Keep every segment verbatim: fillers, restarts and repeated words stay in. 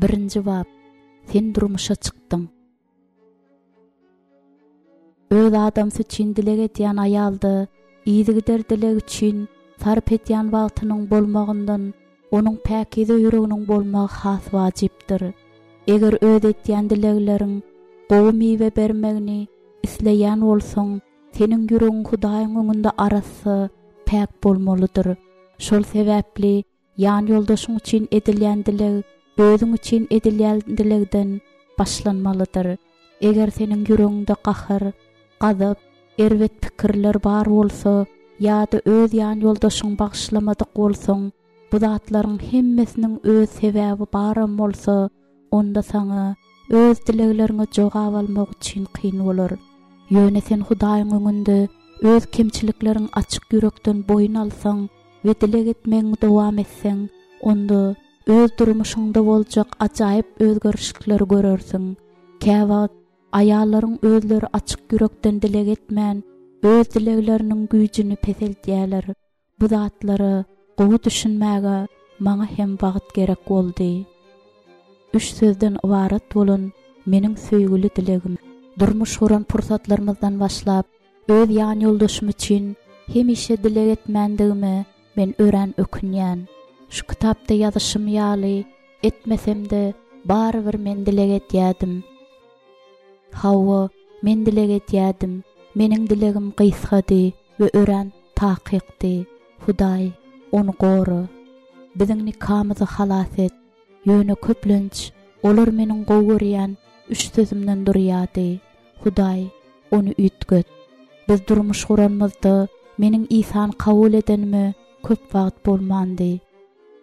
Birinji bap. Sen durmuşa çykdyň. Öz adamsy üçin dileg edýän aýalda yzygider dileg üçin sarp edýän wagtynyň bolmagyndan onuň päkize ýüreginiň bolmagy has wajypdyr. Eger öz edýän dilegleriň gowy miwe bermegini isleýän bolsaň, seniň ýüregiň Hudaýyň öňünde arassa, päk bolmalydyr. Şol sebäpli ýanýoldaşyň üçin edilýän dileg özüň üçin edilýän dilegden başlanmalydyr. Eger seniň ýüregiňde gahar, gazap, erbet pikirler bar bolsa ýa-da öz ýanýoldaşyňy bagyşlamadyk bolsaň, bu zatlaryň hemmesiniň öz sebäbi baram bolsa, onda saňa öz dilegleriňe jogap almak üçin kyn bolar. Ýöne sen Hudaýyň öňünde öz kemçilikleriňi açyk ýürekden boýun alsaň we dileg etmegiňi dowam etseň, onda öz durmuşyňda boljak ajaýyp özgerişlikleri görersiň. Käwagt aýallaryň özleri açyk ýürekden dileg etmän, öz dilegleriniň güýjüni peseltýärler. Bu zatlara gowy düşünmäge maňa hem wagt gerek boldy. Üç sözden ybarat bolan meniň söýgüli dilegim. Durmuş guran pursatlarymyzdan başlap, öz ýanýoldaşym üçin hemişe dileg etmändigime men örän ökünýän. Şu kitapda ýazyşym ýaly etmesem-de barybir men dileg edýärdim. Hawa, men dileg edýärdim. Meniň dilegim gysgady we örän takykdy. Hudaý, ony gora. Biziň nikamyzy halas et. Ýöne köplenç olar meniň gowy görýän üç sözümden durýardy. Hudaý, ony üýtget. Biz durmuş guranymyzda meniň Isany kabul edenime köp wagt bolmandy.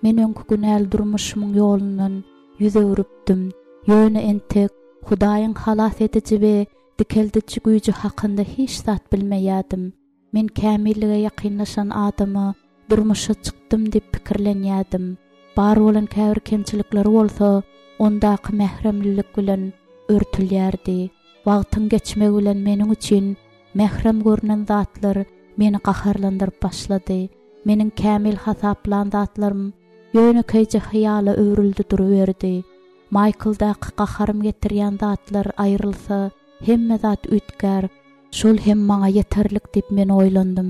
Men öňki günäli durmuşymyň ýolundan ýüz öwrüpdim. Ýöne entek Hudaýyň halas ediji we dikeldiji güýji hakynda hiç zat bilmeýärdim. Men kämillige ýakynlaşan adama durmuşa çykdym diýip pikirlenýärdim. Bar bolan käbir kemçilikleri bolsa ondaky mähremlilik bilen örtülýärdi. Wagtyň geçmegi bilen meniň üçin mährem görünen zatlar meni gaharlandyryp başlady. Meniň kämil hasaplan zatlarym ýönekeýje hyýala öwrüldi duruberdi. Michaeldaky gaharym getirýän zatlar aýrylsa, hemme zat üýtgär. Şol hem maňa ýeterlik diýip men oýlandym.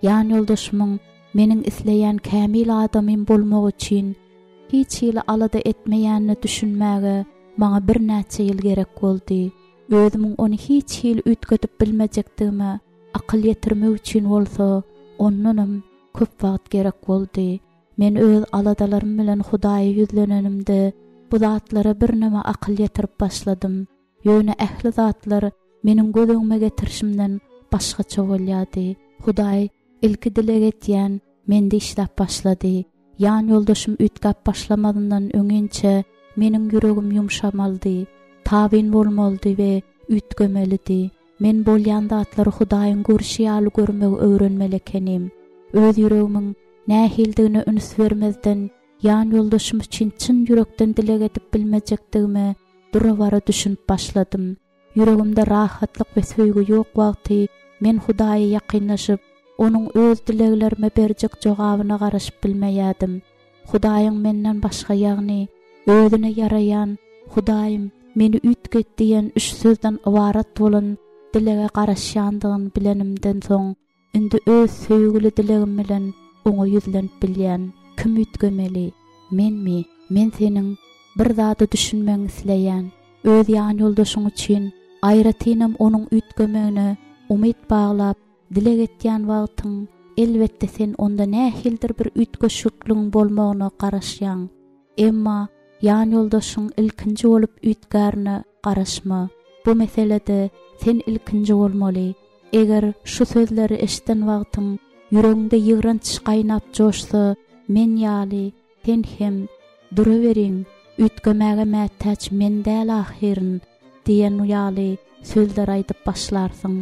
Ýanýoldaşymyň meniň isleýän kämil adamym bolmagy üçin hiç hili alada etmeýänine düşünmäge maňa birnäçe ýyl gerek boldy. Özümiň ony hiç hili üýtgedip bilmejekdigime akyl ýetirmek üçin bolsa ondanam köp wagt gerek boldy. Men öz aladalarym bilen Hudaýa ýüzlenenimde bu zatlara birneme akyl ýetirip başladym. Ýöne ähli zatlar meniň göz öňüme getirişimden başgaça bolýardy. Hudaý ilki dileg etýän mende işläp başlady. Ýanýoldaşym üýtgäp başlamazyndan öňinçe meniň ýüregim ýumşamalydy, tabyn bolmalydy we üýtgemelidi. Men bolýan zatlary Hudaýyň görşi ýaly görmegi öwrenmeli ekenim. Öz ýüregimiň nähildigine üns bermezden ýanýoldaşym üçin çyn ýürekden dileg edip bilmejekdigime dura-bara düşünip başladym. Ýüregimde rahatlyk we söýgi ýok wagty men Hudaýa ýakynlaşyp, onuň öz dileglerime berjek jogabyna garaşyp bilmeýärdim. Hudaýyň menden başga, ýagny özüne ýaraýan Hudaýym meni üýtget diýen üç sözden ybarat bolan dilege garaşýandygyny bilenimden soň, indi öz söýgüli dilegim bilen oňa ýüzlenip bilýän. Kim üýtgemeli? Menmi? Men seniň bir zada düşünmegiňi isleýän. Öz ýanýoldaşyň üçin aýratynam onuň üýtgemegine umyt baglap dileg etýän wagtyň, elbetde sen onda nähilidir bir üýtgeşikligiň bolmagyna garaşýaň. Emma ýanýoldaşyň ilkinji bolup üýtgärine garaşma. Bu meselede sen ilkinji bolmaly. Eger şu sözleri eşiden wagtyň ýüregiňde ýygranç gaýnap joşsa, men ýaly sen hem duraweriň, üýtgemäge mätäç men däl ahyryn diýen ýaly sözler aýdyp başlarsyň.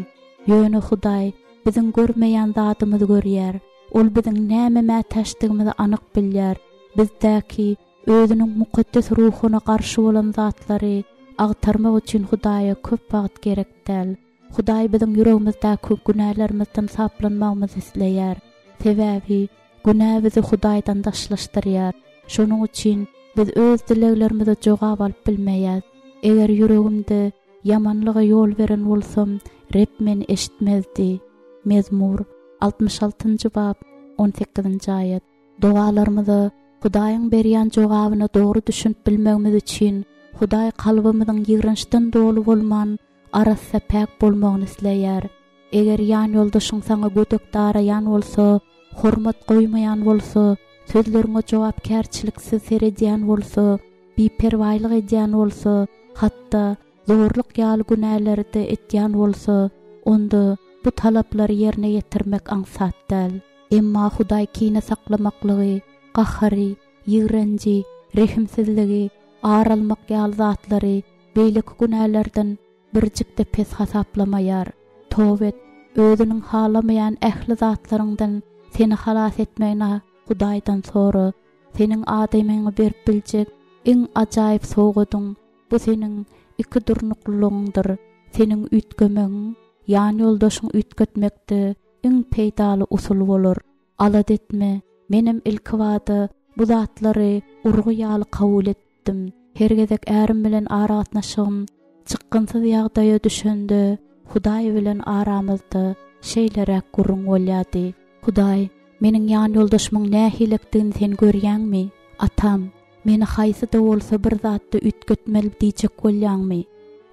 Ýöne Hudaý biziň görmeýän zadymyzy görýär. Ol biziň näme mätäçdigimizi anyk bilýär. Bizdäki özüniň mukaddes ruhuna garşy bolan zatlary agtarmak üçin Hudaýa köp wagt gerek däl. Hudaý biziň ýüregimizdäki günälerimizden saplanmagymyzy isleýär. Sebäbi günä bizi Hudaýdan daşlaşdyrýar. Şonuň üçin Biz öz dileglerimize jogap alyp bilmeýäs. Eger ýüregimde ýamanlyga ýol beren bolsam, Reb meni eşitmezdi. Mezmur, altmyş altynjy bap, on sekizinji aýat. Dogalarymyza Hudaýyň berýän jogabyna dogry düşünip bilmegimiz üçin, Hudaý kalbymyzyň ýigrençden doly bolman, arassa päk bolmagyny isleýär. Eger ýanýoldaşyň saňa gödek daraýan bolsa, hormat goýmaýan bolsa, sözleriňe jogapkärçiliksiz seredýän bolsa, biperwaýlyk edýän bolsa, hatda zorluk ýaly günäleri-de etýän bolsa, onda bu talaplary ýerine ýetirmek aňsat däl. Emma Hudaý kine saklamaklygy, gahary, ýigrenji, rehimsizligi, ar almak ýaly zatlary beýleki günälerden birjik-de pes hasaplamaýar. Toba et, özüniň halamaýan ähli zatlaryňdan seni halas etmegini Hudaýdan sora. Seniň adamyňa berip biljek iň ajaýyp sowgadyň bu seniň iki durnuklylygyňdyr. Seniň üýtgemegiň, ýanýoldaşyň üýtgetmekde iň peýdaly usul bolar. Alada etme, menem ilkibada bu zatlary urgy ýaly kabul etdim. Her gezek ärim bilen aragatnaşygym çykgynsyz ýagdaýa düşende, Hudaý bilen aramyzda şeýleräk gürrüň bolýardy. Hudaý, meniň ýanýoldaşymyň nähilekdigini sen görýäňmi? Atam, meni haýsy-da bolsa bir zatda üýtgetmeli diýjek bolýaňmy?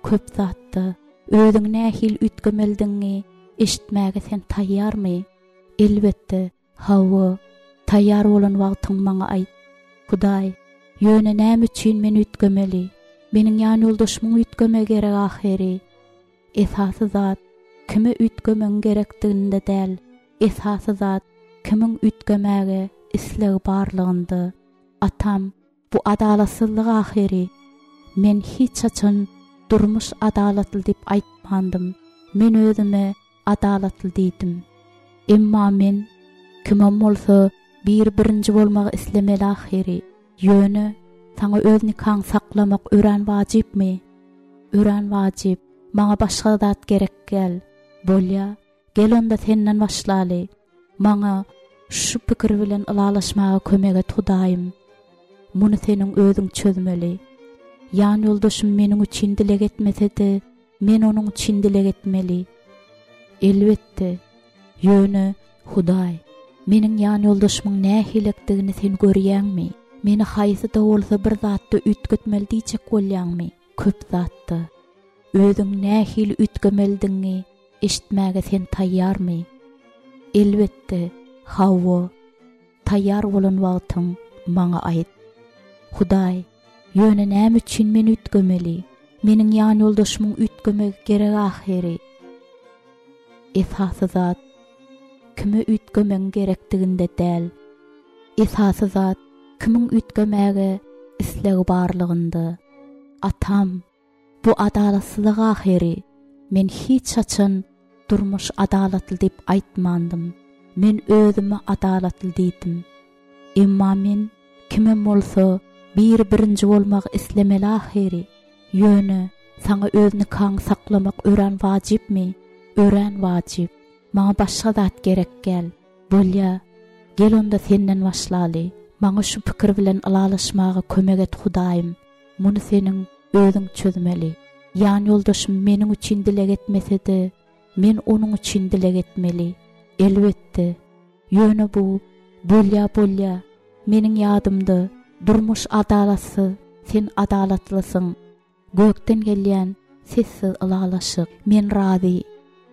Köp zatda. Özüň nähili üýtgemelidigiňi eşitmäge sen taýýarmy? Elbetde, hawa. Taýýar bolan wagtyň maňa aýt. Hudaý, ýöne näme üçin men üýtgemeli? Meniň ýanýoldaşymyň üýtgemegi gerek ahyry. Esasy zat, kime üýtgemegiň gerekdiginde däl, esasy zat, kimiň üýtgemäge islegi barlygynda. Atam, bu adalatsyzlyk ahyry. Men hiç haçan durmuş adalatly diýip aýtmandym. Men özüme adalatly diýdim. Emma men, kimem bolsa, biri birinji bolmagy islemeli ahyry. Ýöne, saňa öz nikaňy saklamak örän wajypmy? Örän wajyp. Maňa başga zat gerek däl. Bolýa, gel onda senden başlaly. Maňa şu pikir bilen ylalaşmaga kömek et, Hudaýym. Muny seniň özüň çözmeli. Ýanýoldaşym meniň üçin dileg etmese-de, men onuň üçin dileg etmeli. Elbetde, ýöne, Hudaý, meniň ýanýoldaşymyň nähilekdigini sen görýäňmi? Meni haýsy-da bolsa bir zatda üýtgetmeli diýjek bolýaňmy? Köp zatda. Özüň nähili üýtgemelidigiňi eşitmäge sen taýýarmy? Elbetde, hawa. Taýýar bolan wagtyň maňa aýt. Hudaý, ýöne näme üçin men üýtgemeli? Meniň ýanýoldaşymyň üýtgemegi gerek ahyry. Esasy zat, kime üýtgemegiň gerekdiginde däl. Esasy zat, kimiň üýtgemäge islegi barlygynda. Atam, bu adalatsyzlyk ahyry. Men hiç haçan durmuş adalatly diýip aýtmandym. Men özüme adalatly diýdim. Emma men, kimem bolsa, biri birinji bolmagy islemeli ahyry. Ýöne, saňa öz nikaňy saklamak örän wajypmy? Örän wajyp. Maňa başga zat gerek däl. Bolýa, gel onda senden başlaly. Maňa şu pikir bilen ylalaşmaga kömek et, Hudaýym. Muny seniň özüň çözmeli. Ýanýoldaşym meniň üçin dileg etmese-de, men onuň üçin dileg etmeli. Elbetde. Ýöne bu, bolýa, bolýa. Meniň ýadymda, durmuş adalatsyz, sen adalatlysyň. Gökden gelýän sessiz ylalaşyk. Men razy.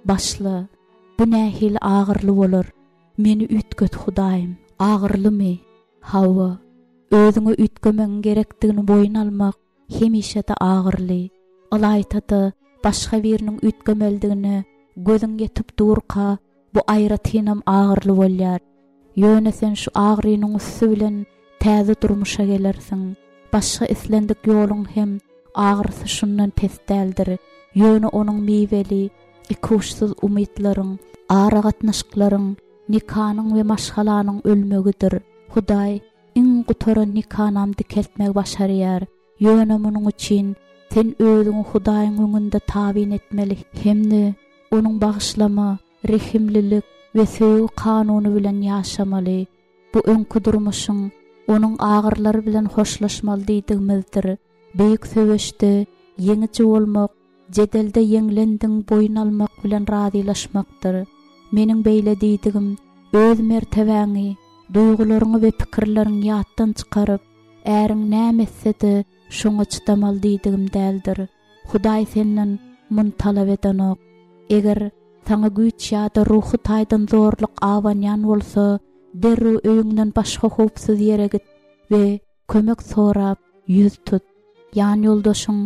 Başla. Bu nähili agyrly bolar. Meni üýtget, Hudaýym. Agyrlymy? Hawa. Özüňe üýtgemegiň gerekdigini boýun almak hemişe-de agyrly. Ylaýta-da, başga biriniň üýtgemelidigine gözüň ýetip durka, bu aýratynam agyrly bolýar. Ýöne sen şu agrynyň üsti bilen täze durmuşa gelersiň. Başga islendik ýoluň hem agyrysy şundan pes däldir. Ýöne onuň miweli, ikuçsuz umytlaryň, aragatnaşyklaryň, nikanyň we maşgalanyň ölmegidir. Hudaý iň gutaran nikanam dikeltmegi başarýar. Ýöne munuň üçin sen özüňi Hudaýyň öňünde tabyn etmeli hem-de onuň bagyşlama, rehimlilik we söýgi kanuny bilen ýaşamaly. Bu öňki durmuşyň onuň agyrlary bilen hoşlaşmaly diýdigimizdir. Beýik söweşde ýeňiji bolmak, jedelde ýeňlendiň boýun almak bilen razylaşmakdyr. Meniň beýle diýdigim, öz mertebäňi, duýgularyňy we pikirleriňi ýatdan çykaryp, äriň näme etse-de şoňa çydamaly diýdigim däldir. Hudaý senden muny talap edenok. Eger saňa güýç ýa-da ruhy taýdan zorluk abanýan bolsa, derrew öýüňden başga howpsuz ýere git we kömek sorap ýüz tut. Ýan ýoldaşyň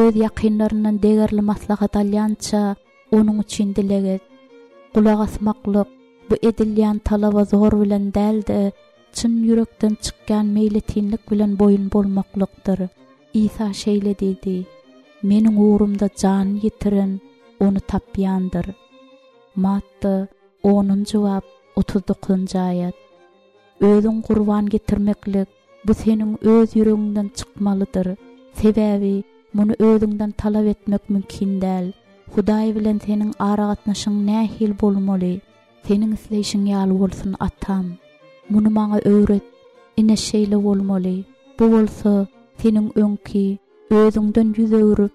öz ýakynlaryndan degerli maslahat alýança onuň üçin dileg et. Gulak asmaklyk bu edilýän talaba zor bilen däl-de, çyn ýürekden çykýan meýletinlik bilen boýun bolmaklykdyr. Isa şeýle diýdi: Meniň ugrumda janyny ýitiren ony tapýandyr. Matta onunjy bap otuz dokuzynjy aýat. Özüň gurban getirmeklik bu seniň öz ýüregiňden çykmalydyr. Sebäbi muny özüňden talap etmek mümkin däl. Hudaý bilen seniň aragatnaşyň nähili bolmaly? Seniň isleýşiň ýaly bolsun, Atam. Muny maňa öwret. Ine şeýle bolmaly. Bu bolsa seniň öňki özüňden ýüz öwrüp,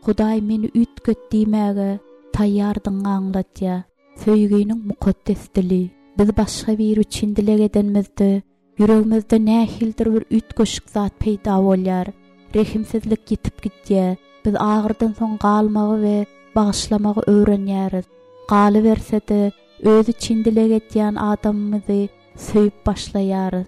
Hudaý meni üýtget diýmäge taýýardygyňy aňladýar. Söýginiň mukaddes dili. Biz başga biri üçin dileg edenimizde, ýüregimizde nähilidir bir üýtgeşik zat peýda bolýar. Rehimsizlik ýitip gidýär. Biz agyrdan soň galmagy we bagyşlamagy öwrenýäris. Galyberse-de, öz üçin dileg edýän adamymyzy söýüp başlaýarys.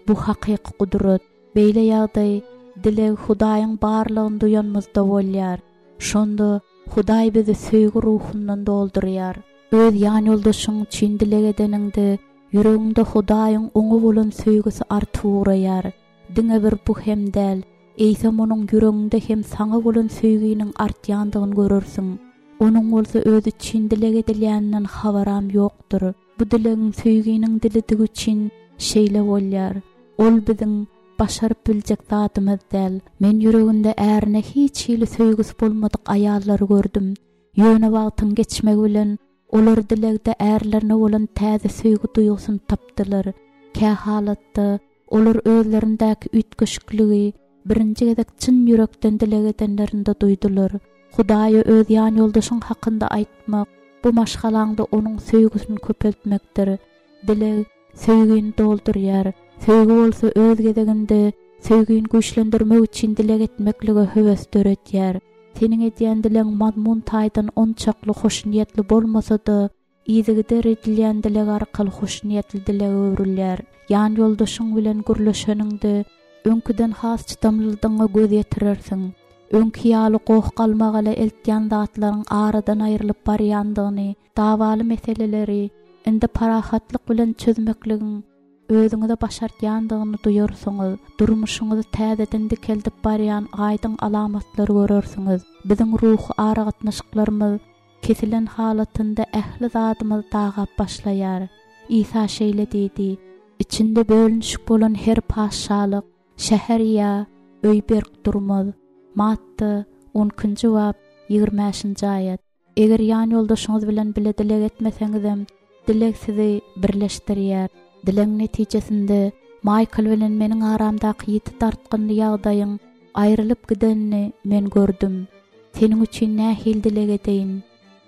Bu hakyky gudrat. Beýle ýagdaý dileg Hudaýyň barlygyny duýanymyzda bolýar. Şonda Hudaý bizi söýgi ruhundan doldurýar. Öz ýan ýoldaşyň üçin dileg edeniňde, ýüregiňde Hudaýyň oňa bolan söýgüsi artyp ugraýar. Diňe bir bu hem däl, eýsem onuň ýüreginde hem saňa bolan söýginiň artýandygyny görersiň. Onuň bolsa öz üçin dileg edilýäninden habaram ýokdur. Bu dilegiň söýginiň dilidigi üçin şeýle bolýar. Ol biziň başaryp biljek zadymyz däl. Men ýüreginde ärine hiç hili söýgüsi bolmadyk aýallary gördüm. Ýöne wagtyň geçmegi bilen olar dilegde ärlerine bolan täze söýgi duýgusyny tapdylar. Kä halatda olar özlerindäki üýtgeşikligi birinji gezek çyn ýürekden dileg edenlerinde duýdular. Hudaýa öz ýan ýoldaşyň hakynda aýtmak, bu maşgalaňda onuň söýgüsini köpeltmekdir. Dileg söýgini doldurýar. Söýgi bolsa öz gezeginde söýgini güýçlendirmek üçin dileg etmeklige höwes döretýär. Seniň edýän dilegiň mazmun taýdan onçakly hoşniýetli bolmasa-da, yzygider edilýän dileg arkaly hoşniýetli dilege öwrülýär. Ýan ýoldaşyň bilen gürleşeniňde öňküden has çydamlydygyňa göz ýetirersiň. Öňki ýaly goh-galmagala eltýän zatlaryň aradan aýrylyp barýandygyny, dawaly meseleleri indi parahatlyk bilen çözmekligiň özüňize başartýandygyny duýarsyňyz. Durmuşyňyzy täzeden dikeldip barýan aýdyň alamatlary görersiňiz. Biziň ruhy aragatnaşyklarymyz kesilen halatynda ähli zadymyz dagap başlaýar. Isa şeýle diýdi: İçinde bölünişik bolan her paşalyk, şäher ýa öý berk durmaz. Matta on ikinji bap ýigrimi bäşinji aýat. Eger ýan ýoldaşyňyz bilen bile dileg etmeseňizem, dileg sizi birleşdirýär. Dilegiň netijesinde Maýkl bilen meniň aramdaky ýiti dartgynly ýagdaýyň aýrylyp gidenini men gördüm. Seniň üçin nähili dileg edeýin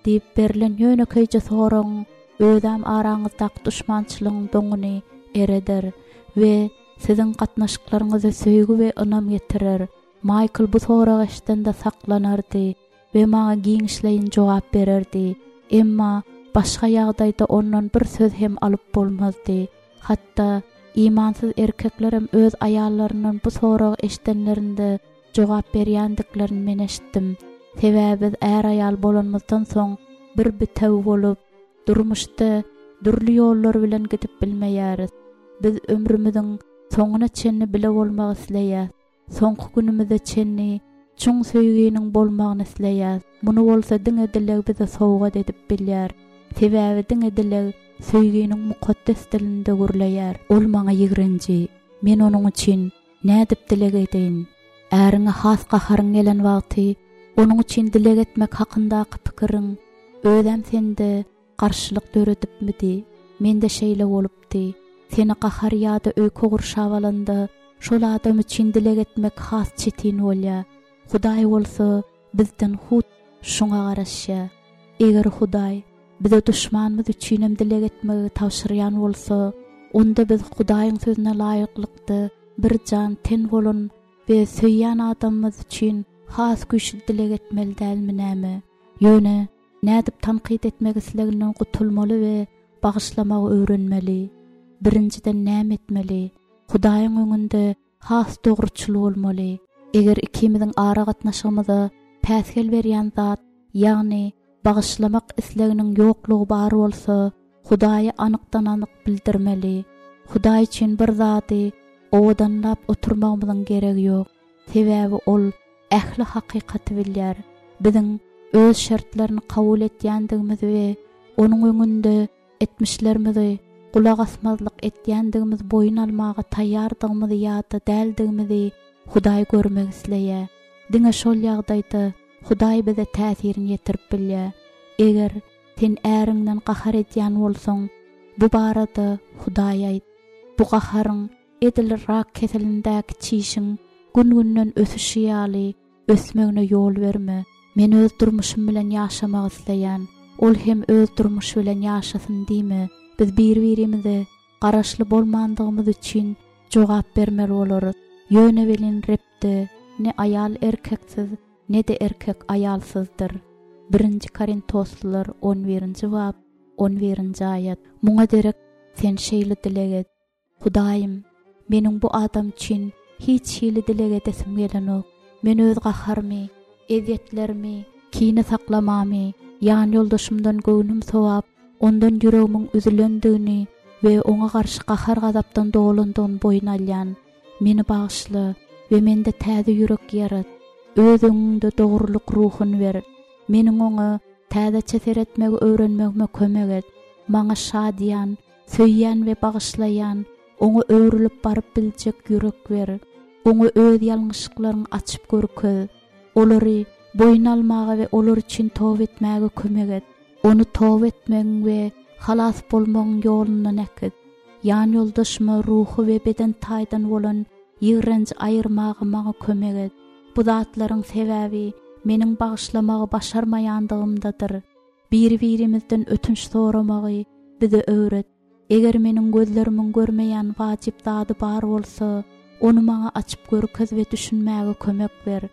diýip berlen ýönekeýje soragyň özem araňyzdaky duşmançylygyň doňuny ereder we siziň gatnaşyklaryňyza söýgi we ynam getirer. Maýkl bu soragy eşidende saklanardy we maňa giňişleýin jogap bererdi. Emma başga ýagdaýda ondan bir söz hem alyp bolmazdy. Hatda imansyz erkeklerem öz aýallaryndan bu soragy eşidenlerinde jogap berýändiklerini men eşitdim. Sebäbi biz är-aýal bolanymyzdan soň bir bitewi bolup, durmuşda dürli ýollar bilen gidip bilmeýäris. Biz ömrümüziň soňuna çenli bile bolmak isleýäris. Soňky günümize çenli çuň söýginiň bolmagyny isleýäris. Muny bolsa diňe dileg bize sowgat edip bilýär. Sebäbi diňe dileg söýginiň mukaddes dilinde gürleýär. Ol maňa ýigrenji, men onuň üçin nädip dileg edeýin? Äriňe has gaharyň gelen wagty onuň üçin dileg etmek hakyndaky pikiriň özem sende garşylyk döredipmidi? Mende şeýle bolupdy. Seni gahar ýa-da öýke gurşap alanda, şol adam üçin dileg etmek has çetin bolýar. Hudaý bolsa bizden hut şuňa garaşýar. Eger Hudaý bize duşmanymyz üçinem dileg etmegi tabşyrýan bolsa, onda biz Hudaýyň sözüne laýyklykda bir jan ten bolan we söýýän adamymyz üçin has güýçli dileg etmeli dälmi näme? Ýöne nädip tankyt etmek isleginden gutulmaly we bagyşlamagy öwrenmeli? Birinjiden näme etmeli? Hudaýyň öňünde has dogruçyl bolmaly. Eger ikimiziň ara gatnaşygymyza päsgel berýän zat, ýagny bagyşlamak isleginiň ýoklugy bar bolsa, Hudaýy anykdan anyk bildirmeli. Hudaý üçin bir zady owadanlap oturmagymyzyň geregi ýok. Sebäbi ol ähli hakykaty bilýär. Biziň öz şertlerini kabul etýändigimiz we onuň öňünde etmişlerimizi gulak asmazlyk etýändigimiz boýun almaga taýýardygymyzy ýa-da däldigimizi Hudaý görmek isleýär. Diňe şol ýagdaýda Hudaý bize täsirini ýetirip bilýär. Eger sen äriňden gahar edýän bolsaň, bu barada Hudaý aýt. Bu gaharyň edil rak keselindäki çişiň gün-günden ösüşi ýaly ösmegine ýol berme. Men öz durmuşym bilen ýaşamak isleýän. Ol hem öz durmuşy bilen ýaşasyn diýme. Biz bir-birimize garaşly bolmandygymyz üçin jogap bermeli bolarys. Ýöne welin Rebde ne aýal erkeksiz, ne-de erkek aýalsyzdyr. Birinji Korintoslylar on birinji bap, on birinji aýat. Muňa derek sen şeýle dileg et. Hudaýym, meniň bu adam üçin hiç hili dileg edesim gelenok. Men öz gaharymy, ezýetlerimi, kine saklamamy, ýan ýoldaşymdan göwnüm sowap, ondan ýüregimiň üzülendigini we oňa garşy gahar gazapdan dolandygyny boýun alýan. Meni bagyşla we mende täze ýürek ýarat. Öz öňüňde dogrulyk ruhuny ber. Meniň oňa täzeçe seretmegi öwrenmegime kömek et. Maňa şadyýan, söýýän we bagyşlaýan, oňa öwrülip baryp biljek ýürek ber. Oňa öz ýalňyşlyklaryňy açyp görkez. Olary boýun almaga we olar üçin toba etmäge kömek et. Ony toba etmegiň we halas bolmagyň ýolundan äkit. Ýan ýoldaşyma ruhy we beden taýdan bolan ýigrenji aýyrmaga maňa kömek et. Bu zatlaryň sebäbi meniň bagyşlamagy başarmaýandygymdadyr. Bir-birimizden ötünç soramagy bize öwret. Eger meniň gözlerimiň görmeýän wajyp zady bar bolsa, ony maňa açyp görkez we düşünmäge kömek ber.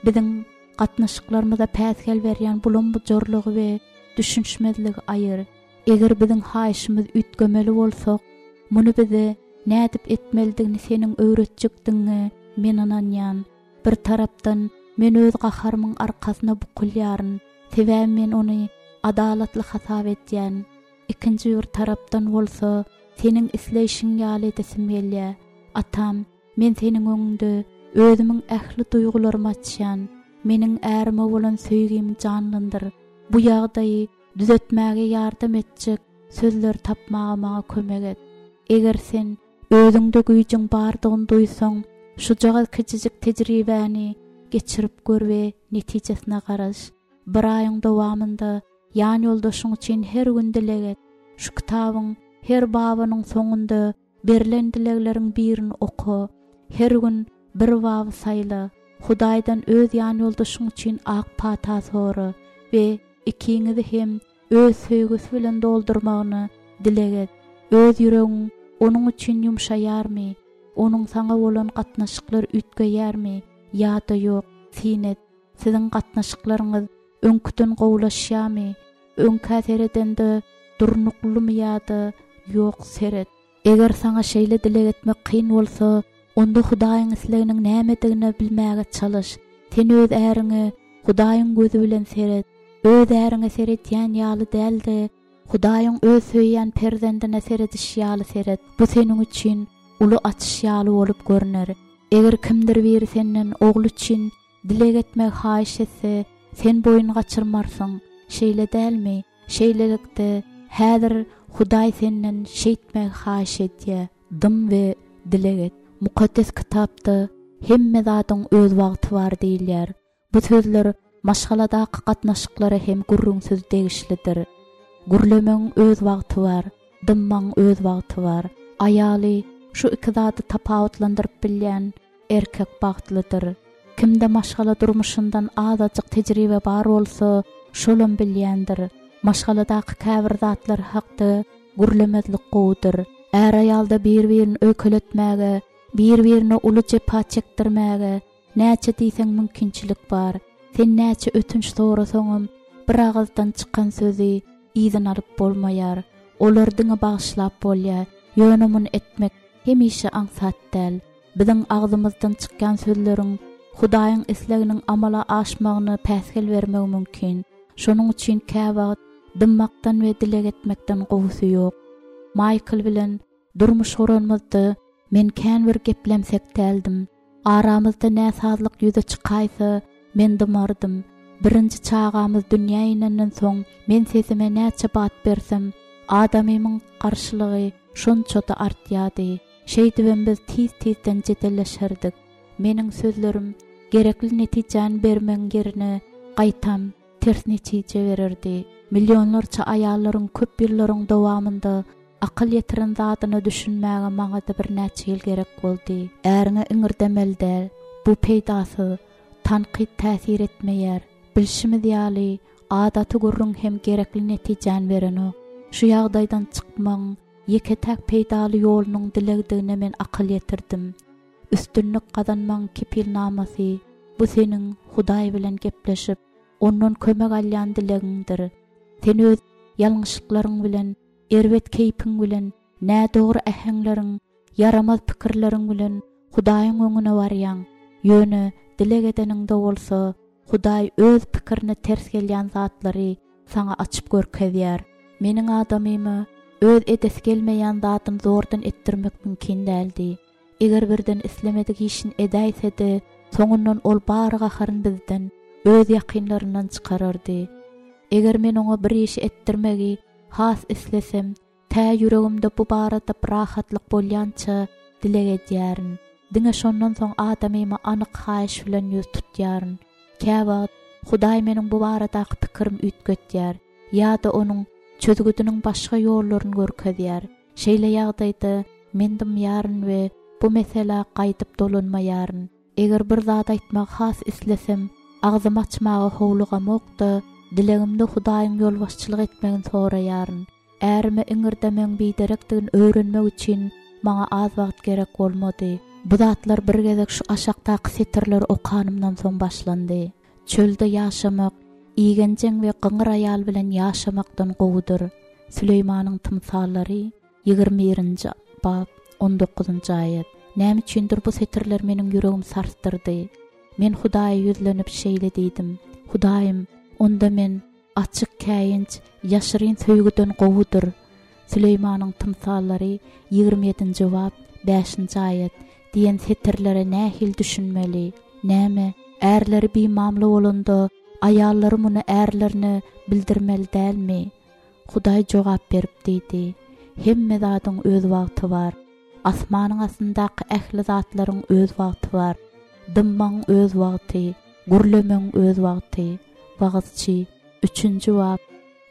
Biziň gatnaşyklarymyza päsgel berýän bulam-bujarlygy we düşünişmezligi aýyr. Eger biziň haýyşymyz üýtgemeli bolsak, muny bize nädip etmelidigini seniň öwretjekdigiňe men ynanýan. Bir tarapdan men öz gaharymyň arkasyna bukulýaryn, sebäbi men ony adalatly hasap edýän. Ikinji bir tarapdan bolsa seniň isleýşiň ýaly edesim gelýär. Atam, men seniň öňüňde özümiň ähli duýgularymy açýan. Meniň ärime bolan söýgimi janlandyr. Bu ýagdaýy düzetmäge ýardam etjek sözler tapmaga maňa kömek et. Eger sen özüňde güýjüň bardygyny duýsaň, şujagaz kiçijik tejribäni geçirip gör we netijesine garaş. Bir aýyň dowamynda ýan ýoldaşyň üçin her gün dileg et. Şu kitabyň her babynyň soňunda berlen dilegleriň birini oka. Her gün bir baby saýla. Hudaýdan öz ýan ýoldaşyň üçin ak pata sora we ikiňizi hem öz söýgüsi bilen doldurmagyny dileg et. Öz ýüregiň onuň üçin ýumşaýarmy? Onuň saňa bolan gatnaşyklar üýtgeýärmi ýa-da ýok? Syn et. Siziň gatnaşyklaryňyz öňküden gowulaşýarmy? Öňkä seredende durnuklymy ýa-da ýok seret. Eger saňa şeýle dileg etmek kyn bolsa, onda Hudaýyň isleginiň nämedigini bilmäge çalyş. Sen öz äriňe Hudaýyň gözi bilen seret. Öz äriňe seretýän ýaly däl-de, Hudaýyň öz söýýän perzendine serediş ýaly seret. Bu seniň üçin uly açyş ýaly bolup görner. Eger kimdir biri senden ogly üçin dileg etmegi haýyş etse, sen boýun gaçyrmarsyň. Şeýle dälmi? Şeýlelikde, häzir Hudaý senden şeýtmegi haýyş edýär. Dym we dileg et. Mukaddes kitapda hemme zadyň öz wagty bar diýilýär. Bu sözler maşgaladaky gatnaşyklara hem gürrüňsiz degişlidir. Gürlemegiň öz wagty bar, dymmagyň öz wagty bar. Aýaly şu iki zady tapawutlandyryp bilýän erkek bagtlydyr. Kimde maşgala durmuşyndan azajyk tejribe bar bolsa, şolam bilýändir. Maşgaladaky käbir zatlar hakda gürlemezlik gowudyr. Är aýalda bir-birini öýkeletmäge, bir-birine uly jepa çekdirmäge näçe diýseň mümkinçilik bar. Sen näçe ötünç sorasaňam, bir agyzdan çykan sözi yzyna alyp bolmaýar. Olar diňe bagyşlap bolýar. Ýöne muny etmek hemişe aňsat däl. Biziň agzymyzdan çykýan sözleriň Hudaýyň isleginiň amala aşmagyna päsgel bermegi mümkin. Şonuň üçin käwagt dymmakdan we dileg etmekden gowusy ýok. Michael bilen durmuş guranymyzda men kän bir geplemsek däldim. Aramyzda näsazlyk ýüze çykaýsa, men dymardym. Birinji çagamyz dünýä inenden soň men sesime näçe bat bersem, adamymyň garşylygy şonça-da artýardy. Şeýdibem biz tiz-tizden jedelleşerdik. Meniň sözlerim gerekli netijäni bermegiň ýerine gaýtam ters netije bererdi. Millionlarça aýallaryň köp ýyllaryň dowamynda akyl ýetiren zadyna düşünmäge maňa-da birnäçe ýyl gerek boldy. Äriňe iňirdemeli däl, bu peýdasyz, tankyt täsir etmeýär. Bilşimiz ýaly, adaty gürrüň hem gerekli netijäni berenok. Şu ýagdaýdan çykmagyň ýeke-täk peýdaly ýolunyň dilegdigine men akyl ýetirdim. Üstünlik gazanmagyň kepilnamasy bu seniň Hudaý bilen gepleşip, ondan kömek alýan dilegiňdir. Sen öz ýalňyşlyklaryň bilen, erbet keýpiň bilen, nädogry äheňleriň, ýaramaz pikirleriň bilen Hudaýyň öňüne barýaň. Ýöne dileg edeniňde bolsa, Hudaý öz pikirine ters gelýän zatlary saňa açyp görkezýär. Meniň adamyma öz edesi gelmeýän zadyny zordan etdirmek mümkin däldi. Eger birden islemedik işini edäýse-de, soňundan ol bar gaharyn bizden, öz ýakynlaryndan çykarardy. Eger men oňa bir işi etdirmegi has islesem, tä ýüregimde bu barada rahatlyk bolýança dileg edýärin. Diňe şondan soň adamyma anyk haýyş bilen ýüz tutýaryn. Käwagt Hudaý meniň bu baradaky pikirim üýtgetýär ýa-da onuň çözgüdiniň başga ýollaryny görkezýär. Şeýle ýagdaýda men dymýaryn we bu mesela gaýdyp dolanmaýaryn. Eger bir zat aýtmagy has islesem, agzymy açmaga howlugamok-da, dilegimde Hudaýyň ýolbaşçylyk etmegini soraýaryn. Ärime iňirdemegiň biderekdigini öwrenmek üçin maňa az wagt gerek bolmady. Bu zatlar bir gezek şu aşakdaky setirleri okanymdan soň başlandy. Çölde ýaşamak, igenjeň we gyňyr aýal bilen ýaşamakdan gowudyr. Süleýmanyň tymsallary ýigrimi birinji bap on dokuzynjy aýat. Näme üçindir bu setirler meniň ýüregimi sarsdyrdy. Men Hudaýa ýüzlenip şeýle diýdim: Hudaýym, onda men açyk käýinç, ýaşyryn söýgüden gowudyr. Süleýmanyň tymsallary ýigrimi ýedinji bap bäşinji aýat diýen setirlere nähili düşünmeli? Näme, ärleri bimamly bolanda aýallary muny ärlerine bildirmeli dälmi? Hudaý jogap berip diýdi: Hemme zadyň öz wagty bar. Asmanyň astyndaky ähli zatlaryň öz wagty bar. Dymmagyň öz wagty, gürlemegiň öz wagty. Wagyzçy üçünji bap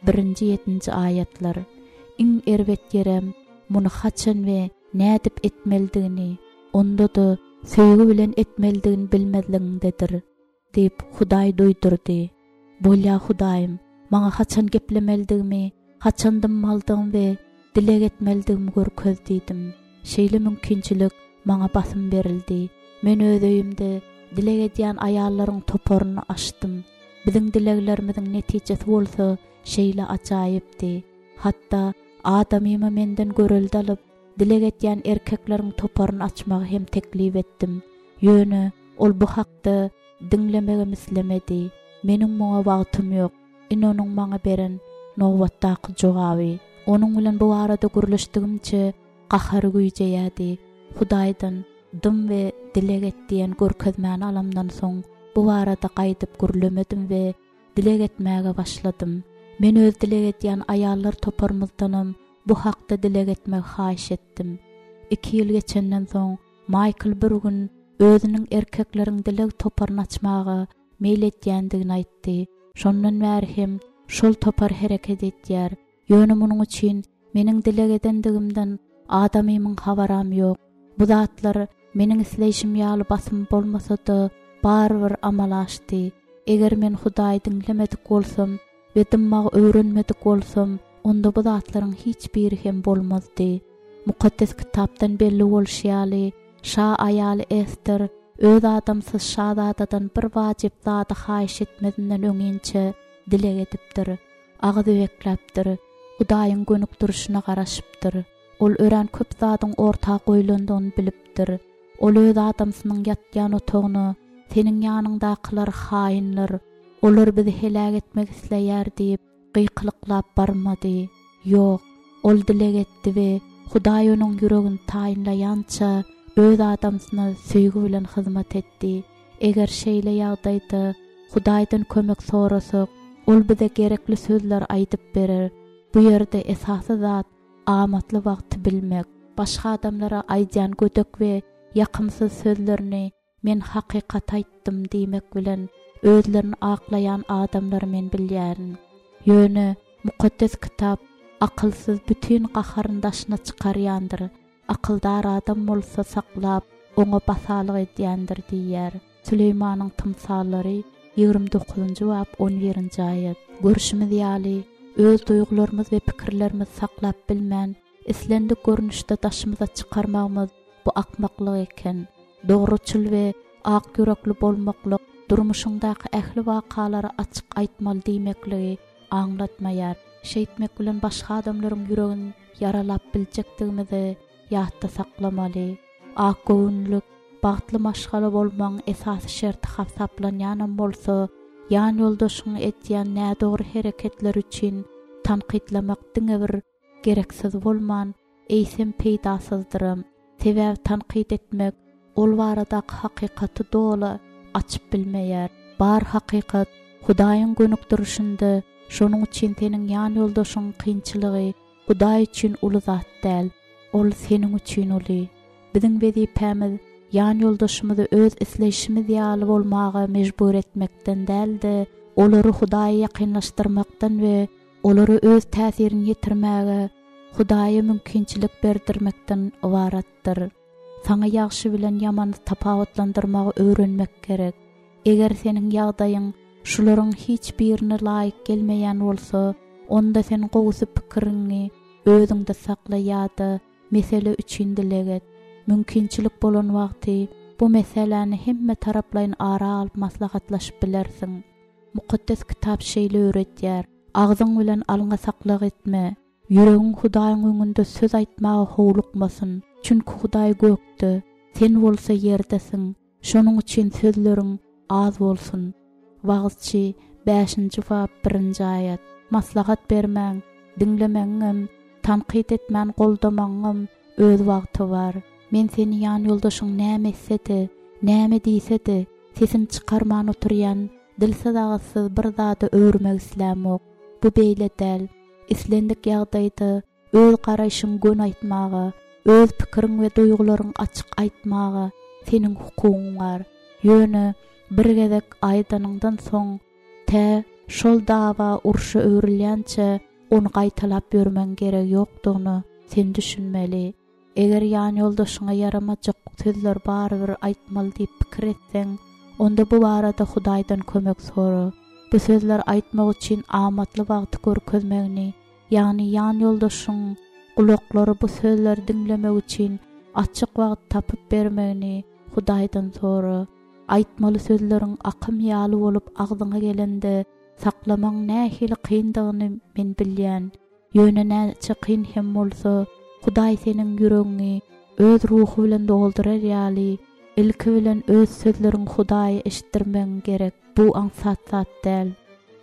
birinji ýedinji aýatlar. Iň erbet ýerem muny haçan we nädip etmelidigini, onda-da söýgi bilen etmelidigini bilmezligiňdedir, diýip Hudaý duýdurdy. Bolýa Hudaýym, maňa haçan geplemelidigimi, haçan dymmalydygymy we dileg etmelidigimi görkez diýdim. Şeýle mümkinçilik maňa basym berildi. Men öz öýümde dileg edýän aýallaryň toparyny açdym. Biziň dileglerimiziň netijesi bolsa şeýle ajaýypdy. Hatda adamyma menden görelde alyp, dileg edýän erkekleriň toparyny açmagy hem teklip etdim. Ýöne ol bu hakda diňlemegem islemedi. Meniň muňa wagtym ýok. Ine onuň maňa beren nobatdaky jogaby. Onuň bilen bu barada gürleşdigimçe gahary güýjeýärdi. Hudaýdan dym we dileg et diýen görkezmäni alamdan soň bu barada gaýdyp gürlemedim we dileg etmäge başladym. Men öz dileg edýän aýallar toparymyzdanam bu hakda dileg etmegi haýyş etdim. Iki ýyl geçenden soň Michael bir gün özüniň erkekleriň dileg toparyny açmaga meýil edýändigini aýtdy. Şondan bäri hem şol topar hereket edýär. Ýöne munuň üçin meniň dileg edendigimden Adamymyň habaram ýok. Bu zatlar meniň isleýşim ýaly basym bolmasa-da, barybir amala aşdy. Eger men Hudaýy diňlemedik bolsam we dymmagy öwrenmedik bolsam, onda bu zatlaryň hiç biri hem bolmazdy. Mukaddes kitapdan belli bolşy ýaly, şa aýaly Ester öz adamsy şazadadan bir wajyp zady haýyş etmezinden öňinçä dileg edipdir, agyz bekläpdir, Hudaýyň gönükdirişine garaşypdyr. Ol örän köp zadyň orta goýlandygyny bilipdir. Ol öz adamsynyň ýatýan otagyna, seniň ýanyňdakylar haýynlar, olar bizi heläk etmek isleýär diýip, gykylyklap barmady. Ýok, ol dileg etdi we Hudaý onuň ýüregini taýynlaýança öz adamsyna söýgi bilen hyzmat etdi. Eger şeýle ýagdaýda Hudaýdan kömek sorasak, ol bize gerekli sözler aýdyp berer. Bu ýerde esasy zat amatly wagty bilmek. Başga adamlara aýdýan gödek we ýakymsyz sözlerini men hakykat aýtdym diýmek bilen özlerini aklaýan adamlary men bilýärin. Ýöne mukaddes kitap akylsyz bütün gaharyny daşyna çykarýandyr. Akyldar adam bolsa saklap, oňa basalyk edýändir diýýär. Süleýmanyň tymsallary ýigrimi dokuzynjy bap on birinji aýat. Görşümiz ýaly, öz duýgularymyz we pikirlerimizi saklap bilmän, islendik görnüşde daşymyza çykarmagymyz bu akmaklyk eken. Dogruçyl we ak ýürekli bolmaklyk durmuşyňdaky ähli wakalary açyk aýtmaly diýmekligi aňlatmaýar. Şeýtmek bilen başga adamlaryň ýüregini ýaralap biljekdigimizi ýatda saklamaly. Ak göwünlik, bagtly maşgala bolmagyň esasy şerti hasaplanýanam bolsa, ýan ýoldaşyňy etýän nädogry hereketler üçin tankytlamak diňe bir gereksiz bolman, eýsem peýdasyzdyram. Sebäbi tankyt etmek ol baradaky hakykaty doly açyp bilmeýär. Bar hakykat Hudaýyň gönükdirişinde, şonuň üçin seniň ýan ýoldaşyň kynçylygy Hudaý üçin uly zat däl, ol seniň üçin uly. Biziň wezipämiz ýan ýoldaşymyzy öz isleýşimiz ýaly bolmaga mejbur etmekden däl-de, olary Hudaýa ýakynlaşdyrmakdan we olary öz täsirini ýetirmäge Hudaýa mümkinçilik berdirmekden ybaratdyr. Saňa ýagşy bilen ýamany tapawutlandyrmagy öwrenmek gerek. Eger seniň ýagdaýyň şularyň hiç birine laýyk gelmeýän bolsa, onda sen gowusy pikiriňi özüňde sakla ýa-da mesele üçin dileg et. Mümkinçilik bolan wagty bu meseläni hemme taraplaýyn ara alyp maslahatlaşyp bilersiň. Mukaddes kitap şeýle öwretýär: Agzyň bilen alňa saklyk etme, ýüregiň Hudaýyň öňünde söz aýtmaga howlukmasyn. Çünki Hudaý gökde, sen bolsa ýerdesiň. Şonuň üçin sözleriň az bolsun. Wagyzçy bäşinji bap birinji aýat. Maslahat bermäň, diňlemegiňem, tankyt etmän goldamagyňam öz wagty bar. Men seni ýan ýoldaşyň näme etse-de, näme diýse-de, sesini çykarman oturýan, dilsiz agyzsyz bir zada öwürmek islämok. Bu beýle däl. Islendik ýagdaýda öz garaýşyň gön aýtmaga, öz pikiriň we duýgularyň açyk aýtmaga seniň hukugyň bar. Ýöne bir gezek aýdanyňdan soň tä şol dawa urşa öwrülýänçä ony gaýtalap ýörmegiň geregi ýokdugyna sen düşünmeli. Eger ýan ýoldaşyňa ýaramajak sözler barybir aýtmaly diýip pikir etseň, onda bu barada Hudaýdan kömek sora. Bu sözler aýtmak üçin amatly wagty görkezmegini, ýagny ýan ýoldaşyň gulaklary bu sözleri diňlemek üçin açyk wagt tapyp bermegini Hudaýdan sora. Aýtmaly sözleriň akym ýaly bolup agzyňa gelende saklamagyň nähili kyndygyny men bilýän. Ýöne näçe kyn hem bolsa, Hudaý seniň ýüregiňi öz ruhy bilen doldurar ýaly, ilki bilen öz sözleriň Hudaýa eşitdirmegiň gerek. Bu aňsat zat däl.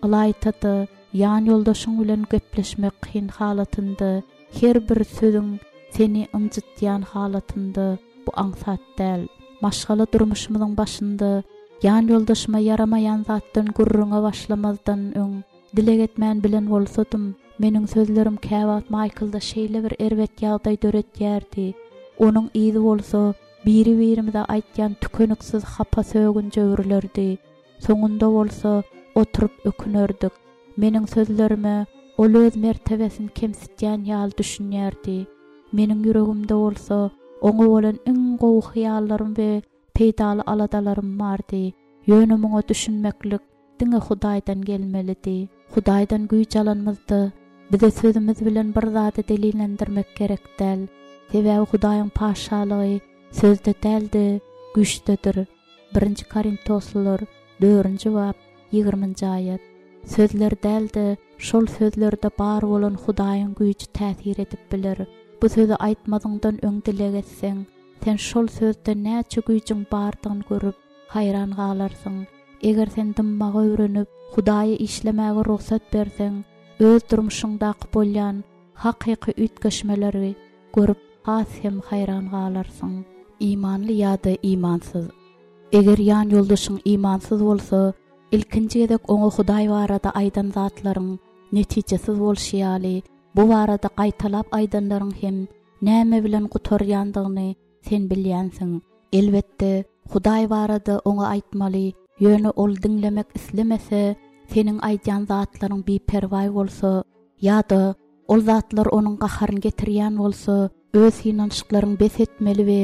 Ylaýta-da ýan ýoldaşyň bilen gepleşmek kyn halatynda, her bir sözüň seni ynjytýan halatynda bu aňsat däl. Maşgala durmuşymyzyň başynda ýan ýoldaşyma ýaramaýan zatdan gürrüňe başlamazdan öň dileg etmän bilen bolsadym, meniň sözlerim käwagt Michaelda şeýle bir erbet ýagdaý döretýärdi. Onuň yzy bolsa biri-birimize aýtýan tükeniksiz hapa sögünje öwrülerdi. Soňunda bolsa oturyp ökünerdik. Meniň sözlerime ol öz mertebesini kemsitýän ýaly düşünýärdi. Meniň ýüregimde bolsa oňa bolan iň gowy hyýallarym we peýdaly aladalarym bardy. Ýöne muňa düşünmeklik diňe Hudaýdan gelmelidi. Hudaýdan güýç alanymyzda bize sözümiz bilen bir zady delillendirmek gerek däl. Sebäbi Hudaýyň patyşalygy sözde däl-de, güýçdedir. Birinji Korintoslylar dördünji bap ýigriminji aýat. Sözler däl-de, şol sözlerde bar bolan Hudaýyň güýji täsir edip biler. Bu sözi aýtmazyňdan öň dileg etseň, sen şol sözde näçe güýjüň bardygyny görüp, haýran galarsyň. Eger sen dymmagy öwrenip, Hudaýa işlemäge rugsat berseň, öz durmuşyňdaky bolýan hakyky üýtgeşmeleri görüp has hem haýran galarsyň. Imanly ýa-da imansyz. Eger ýan ýoldaşyň imansyz bolsa, ilkinji gezek oňa Hudaý barada aýdan zatlaryň netijesiz bolşy ýaly, bu barada gaýtalap aýdanlaryň hem näme bilen gutarýandygyny sen bilýänsiň. Elbetde, Hudaý barada oňa aýtmaly, ýöne ol diňlemek islemese, seniň aýdýan zatlaryň biperwaý bolsa, ýa-da ol zatlar onuň gaharyny getirýän bolsa, öz synanyşyklaryňy bes etmeli we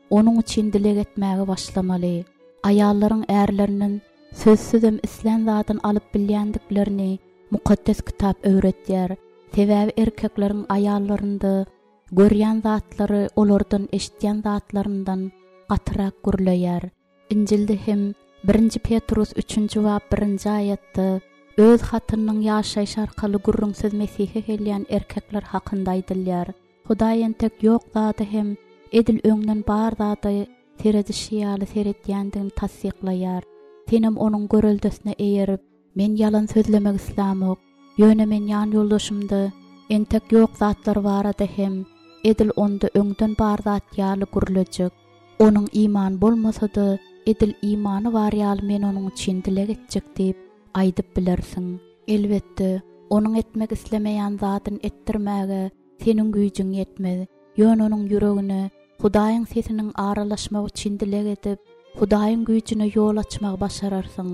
onuň üçin dileg etmäge başlamaly. Aýallaryň ärlerinden sözsüzem islän zadyny alyp bilýändiklerini Mukaddes Kitap öwretýär. Sebäbi erkekleriň aýallarynda görýän zatlary olardan eşitýän zatlaryndan gatyrak gürleýär. Injilde hem birinji Petrus üçünji bap birinji aýatda öz hatynyň ýaşaýyş arkaly gürrüňsiz Mesihe gelýän erkekler hakynda aýdylýar. Hudaý entek ýok zady hem edil öňden bar zady seredişi ýaly seredýändigini tassyklaýar. Senem onuň göreldesine eýerip, men ýalan sözlemek islämok, ýöne men ýan ýoldaşymda entek ýok zatlar barada hem edil onda öňden bar zat ýaly gürlejek. Onuň iman bolmasa-da, edil imany bar ýaly men onuň üçin dileg etjek diýip aýdyp bilersiň. Elbetde, onuň etmek islemeýän zadyny etdirmäge seniň güýjüň ýetmez. Ýöne onuň ýüregine Hudaýyň sesiniň aralaşmagy üçin dileg edip, Hudaýyň güýjüne ýol açmagy başararsyň.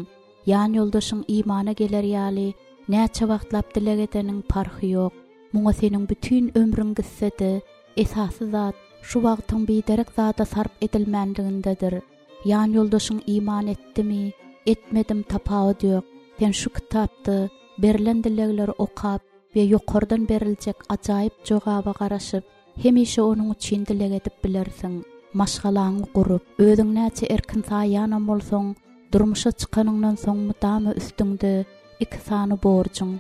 Ýan ýoldaşyň imana geler ýaly näçe wagtlap dileg edeniň parhy ýok. Muňa seniň bütin ömrüň gitse-de, esasy zat şu wagtyň biderek zada sarp edilmänligindedir. Ýan ýoldaşyň iman etdimi, etmedim tapawut ýok. Sen şu kitapda berlen dilegleri okap we ýokardan beriljek ajaýyp jogaba garaşyp, hemişe onuň üçin dileg edip bilersiň. Maşgalaňy gurup, özüň näçe erkin saýýanam bolsaň, durmuşa çykanyňdan soň mudama üstüňde iki sany borjuň,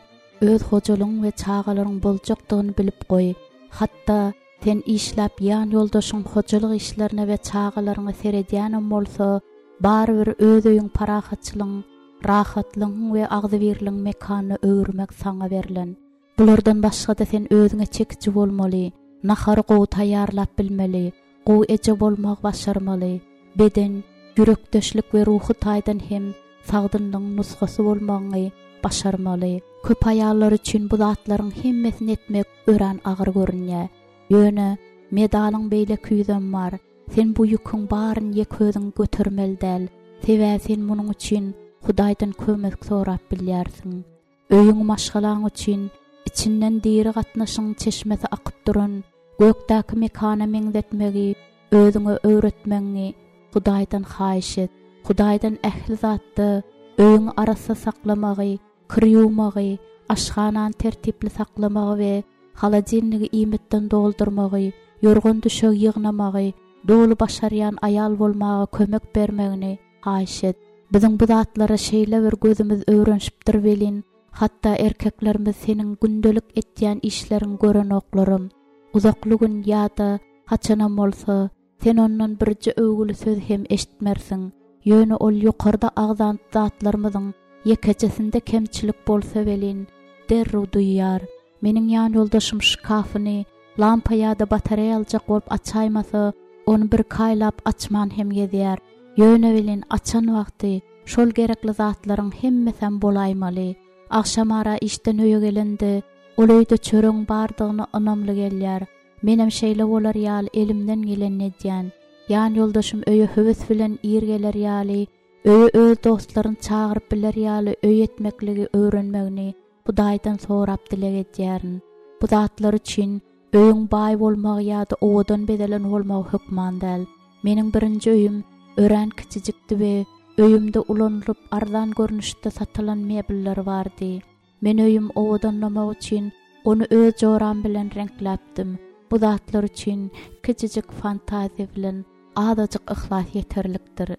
öz hojalygyň we çagalaryň boljakdygyny bilip goý. Hatda sen işläp ýan ýoldaşyň hojalyk işlerine we çagalaryňa seredýänem bolsa, barybir öz öýüň parahatçylygyň, rahatlygyň we agzybirligiň mekanyna öwürmek saňa berlen. Bulardan başga-da sen özüňe çekiji bolmaly, nahary gowy taýýarlap bilmeli, gowy eje bolmagy başarmaly, beden, ýürekdeşlik we ruhy taýdan hem sagdynlygyň nusgasy bolmagyňy başarmaly. Köp aýallar üçin bu zatlaryň hemmesini etmek örän agyr görünýär. Ýöne medalyň beýleki ýüzem bar. Sen bu ýüküň baryny ýek özüň götermeli däl. Sebäbi sen munuň üçin Hudaýdan kömek sorap bilýärsiň. Öýüň maşgalaň üçin içinden diri gatnaşyň çeşmesi akyp duran gökdäki mekana meňzetmegi özüňe öwretmegiňi Hudaýdan haýyş et. Hudaýdan ähli zatda öýüňi arassa saklamagy, kir ýuwmagy, aşhanany tertipli saklamagy we holodilnigi iýmitden doldurmagy, ýorgan düşegi ýygnamagy, doly başarýan aýal bolmaga kömek bermegini haýyş et. Biziň bu zatlara şeýle bir gözümiz öwrenişipdir welin, hatda erkeklerimiz seniň gündelik etýän işleriň görenoklarym. Uzakly gün ýa-da haçanam bolsa, sen ondan birje öwgüli söz hem eşitmersiň. Ýöne ol ýokarda agzan zatlarymyzyň ýekejesinde kemçilik bolsa welin, derrew duýýar. Meniň ýan ýoldaşym şkafyny lampa ýa-da batareýa aljak bolup açaýmasa, ony bir kaýlap açman hem gezýär. Ýöne welin açan wagty şol gerekli zatlaryň hemmesem bolaýmaly. Agşamara işden öýe gelende, ol öýde çöregiň bardygyny ynamly gelýär. Menem şeýle bolar ýaly elimden gelenini edýän. Ýan ýoldaşym öýe höwes bilen ir geler ýaly, öýe öz dostlaryny çagyryp biler ýaly öý etmekligi öwrenmegini Hudaýdan sorap dileg edýärin. Bu zatlar üçin Öýüň baý bolmagy ýa-da owadan bezelen bolmagy hökman däl. Meniň birinji öýüm örän kiçijikdi we öýümde ulanylyp arzan görnüşde satylan mebeller bardy. Men öýüm owadanlamak üçin ony öz joram bilen reňkläpdim. Bu zatlar üçin kiçijik fantaziýa bilen azajyk yhlas ýeterlikdir.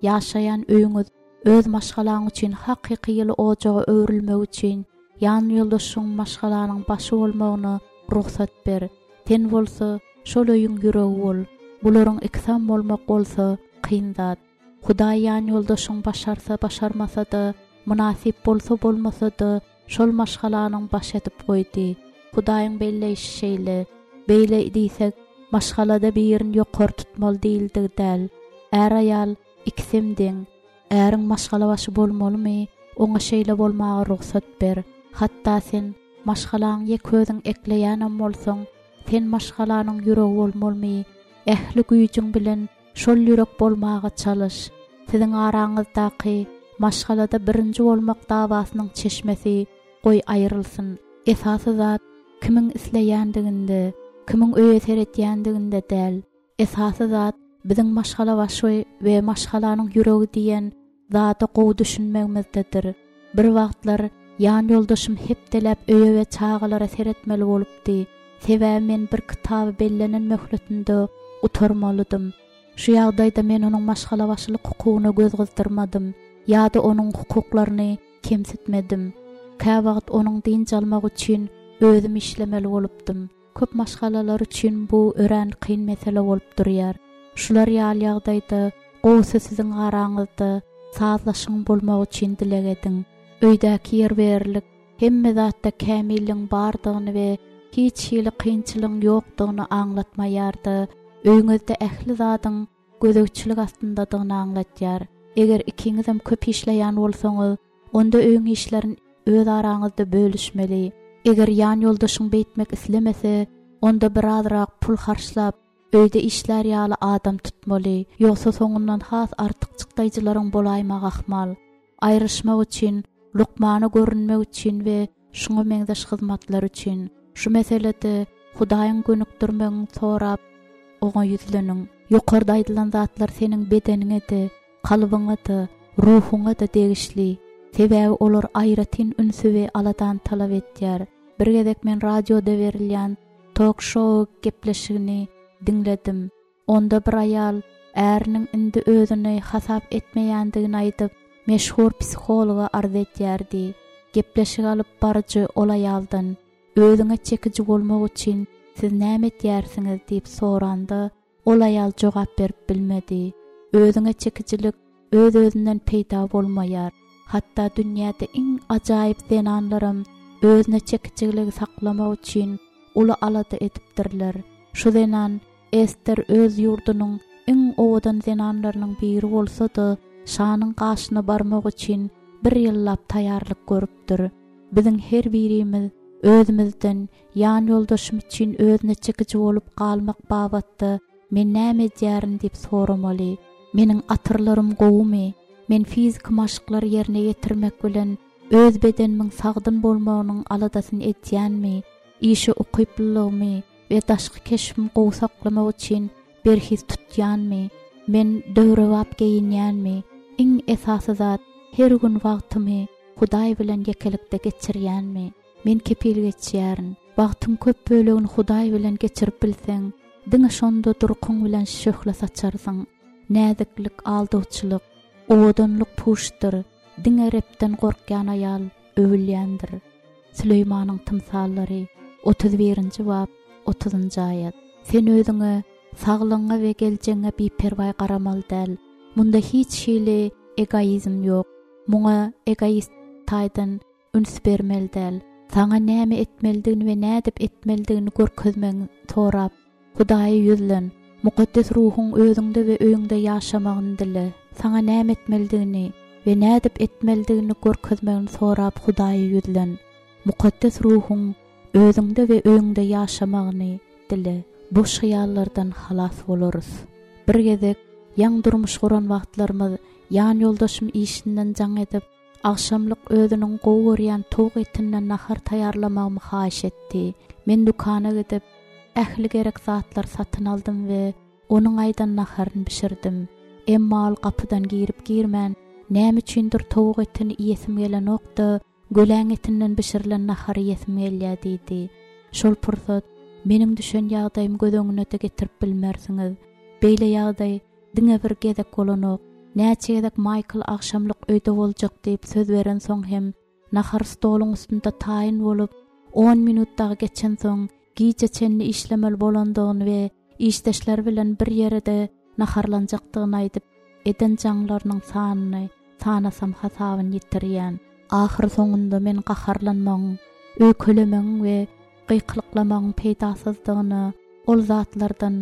Ýaşaýan öýüňiz öz maşgalaň üçin hakyky ýyly ojaga öwrülmek üçin ýan ýoldaşyň maşgalanyň başy bolmagyna rugsat ber. Sen bolsa şol öýüň ýüregi bol. Bularyň ikisem bolmak bolsa kyn zat. Hudaý ýan ýoldaşyň başarsa başarmasa-da, mynasyp bolsa bolmasa-da şol maşgalanyň baş edip goýdy. Hudaýyň belleýşi şeýle. Beýle diýsek, maşgalada birini ýokary tutmaly diýildigi däl. Är-aýal ikisem deň. Äriň maşgala başy bolmalymy? Oňa şeýle bolmaga rugsat ber. Hatda sen maşgalaň ýek özüň ekleýänem bolsaň, sen maşgalanyň ýüregi bolmalymy? Ähli güýjüň bilen şol ýürek bolmaga çalyş. Siziň araňyzdaky maşgalada birinji bolmak dawasynyň çeşmesi goý aýrylsyn. Esasy zat kimiň isleýändiginde, kimiň öýe seretýändiginde däl. Esasy zat biziň maşgala başy we maşgalanyň ýüregi diýen zada gowy düşünmegimizdedir. Bir wagtlar ýan ýoldaşym hepdeläp öýe we çagalara seretmeli bolupdy. Sebäbi men bir kitaby bellenen möhletinde gutarmalydym. Şu ýagdaýda men onuň maşgala başylyk hukugyna göz gyzdyrmadym ýa-da onuň hukuklaryny kemsitmedim. Käwagt onuň dynç almak üçin özüm işlemeli bolupdym. Köp maşgalalar üçin bu örän kyn mesele bolup durýar. Şular ýaly ýagdaýda gowusy siziň araňyzda sazlaşyň bolmagy üçin dileg ediň. Öýdäki ýer berlik, hemme zatda kämilligiň bardygyny we hiç hili kynçylygyň ýokdugyny aňlatmaýar-da, öýüňizde ähli zadyň gözegçilik astyndadygyny aňlatýar. Eger ikiňizem köp işleýän bolsaňyz, onda öýüň işlerini öz araňyzda bölüşmeli. Eger ýan ýoldaşyň beýtmek islemese, onda birazrak pul harçlap, öýde işlär ýaly adam tutmaly. Ýogsa soňundan has artyk çykdaýjylaryň bolaýmagy ahmal. Aýryşmak üçin, lukmana görünmek üçin we şuňa meňzeş hyzmatlar üçin. Şu meselede Hudaýyň gönükdirmegini sorap, oňa ýüzleniň. Ýokarda aýdylan zatlar seniň bedeniňe-de, kalbyňa-da, ruhuňa-da degişli. Sebäbi olar aýratyn ünsi we aladany talap etýär. Bir gezek men radioda berilýän talk show gepleşigini diňledim. Onda bir aýal äriniň indi özüni hasap etmeýändigini aýdyp, meşhur psihologa arz etýärdi. Gepleşik alyp baryjy ol aýaldan, "Özüňe çekiji bolmak üçin siz näme etýärsiňiz?" diýip soranda, ol aýal jogap berip bilmedi. Özüňe çekijilik öz-özünden peýda bolmaýar. Hatda dünýäde iň ajaýyp zenanlaram özüne çekijiligi saklamak üçin uly alada edipdirler. Şu zenan Ester öz ýurdunyň iň owadan zenanlarynyň biri bolsa-da, şanyň gaşyna barmak üçin bir ýyllap taýýarlyk görüpdir. Biziň her birimiz özümizden ýan ýoldaşym üçin özüne çekiji bolup galmak babatda men näme edýärin diýip soramaly. Meniň atyrlarym gowumy? Men fiziki maşklary ýerine ýetirmek bilen öz bedenimiň sagdyn bolmagynyň aladasyny etýänmi? Işe ukyplylygymy we daşky keşbimi gowy saklamak üçin berhiz tutýanmy? Men döwrebap geýinýänmi? Iň esasy zat, her gün wagtymy Hudaý bilen ýekelikde geçirýänmi? Men kepil geçýärin. Wagtyň köp bölegini Hudaý bilen geçirip bilseň, diňe şonda durkuň bilen şöhle saçarsyň. Näziklik, aldawçylyk, owadanlyk puşdur. Diňe Rebden gorkýan aýal öwülýändir. Süleýmanyň tymsallary otuz birinji bap otuzynjy aýat. Sen özüňe, saglygyňa we geljegiňe biperwaý garamaly däl. Munda hiç hili egoizm ýok. Muňa egoist taýdan üns bermeli däl. Saňa näme etmelidigini we nädip etmelidigini görkezmegiňi sorap, Hudaýa ýüzlen. Mukaddes ruhuň özüňde we öýüňde ýaşamagyny dile. Saňa näme etmelidigini we nädip etmelidigini görkezmegini sorap Hudaýa ýüzlen. Mukaddes ruhuň özüňde we öýüňde ýaşamagyny dile. Boş hyýallardan halas bolarys. Bir gezek ýaň durmuş guran wagtlarymyz ýan ýoldaşym işinden jaň edip, agşamlyk özüniň gowy görýän towuk etinden nahar taýýarlamagymy haýyş etdi. Men dükana gidip, ähli gerek zatlary satyn aldym we onuň aýdan naharyny bişirdim. Emma ol gapydan girip girmän, näme üçindir towuk etini iýesim gelenok-da, göläň etinden bişirilen nahary iýesim gelýär diýdi. Şol pursat meniň düşen ýagdaýymy göz öňüne-de getirip bilmersiňiz. Beýle ýagdaý diňe bir gezek bolanok. Näçe gezek Maýkl agşamlyk öýde boljak diýip söz berensoň hem nahar stoluň üstünde taýyn bolup, on minut dagy geçensoň gije çenli işlemeli bolandygyny we işdeşleri bilen bir ýere-de naharlanjakdygyny aýdyp, eden jaňlarynyň sanyny sanasam hasabyny ýitirýän. Ahyr soňunda men gaharlanmagyň, öýkelemegiň we gykylyklamagyň peýdasyzdygyna, ol zatlardan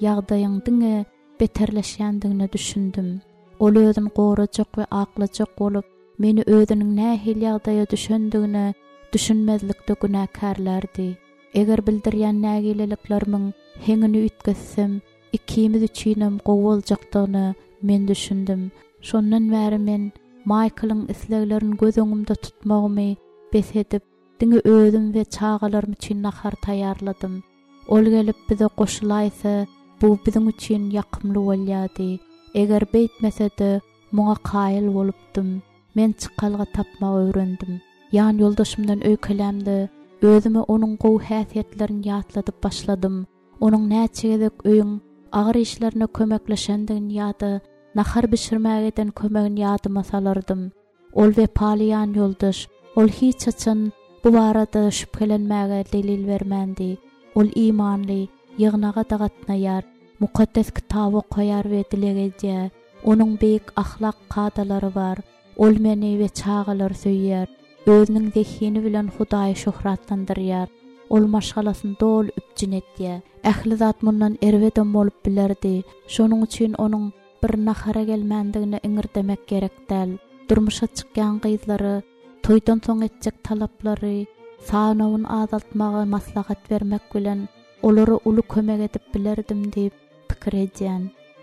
ýagdaýyň diňe beterleşýändigine düşündim. Ol özüni gorajak we aklajak bolup, meni özüniň nähili ýagdaýa düşendigine düşünmezlikde günäkärlärdi. Eger bildirýän nägileliklerimiň heňini üýtgetsem, ikimiz üçinem gowy boljakdygyna men düşündim. Şondan bäri men Maýklyň isleglerini göz öňümde tutmagymy bes edip, diňe özüm we çagalarym üçin nahar taýýarladym. Ol gelip bize goşulaýsa, bu biziň üçin ýakymly bolýardy. Eger beýtmese-de, muňa kaýyl bolupdym. Men çykalga tapmagy öwrendim. Ýan ýoldaşymdan öýkelämde, özüme onuň gowy häsiýetlerini ýatladyp başladym. Onuň näçe gezek öýüň agyr işlerine kömekleşendigini ýa-da nahar bişirmäge eden kömegini ýadyma salardym. Ol wepaly ýan ýoldaş, ol hiç haçan bu barada şübhelenmäge delil bermändi. Ol imanly, ýygnaga-da gatnaýar, mukaddes kitaby okaýar we dileg edýär. Onuň beýik ahlak kadalary bar. Ol meni we çagalary söýýär. Özüniň zehini bilen Hudaýy şöhratlandyrýar. Ol maşgalasyny doly üpjün etýär. Ähli zat mundan erbedem bolup bilerdi. Şonuň üçin onuň bir nahara gelmändigine iňirdemek gerek däl. Durmuşa çykýan gyzlary toýdan soň etjek talaplary sanawyny azaltmaga maslahat bermek bilen olara uly kömek edip bilerdim diýip pikir edýän.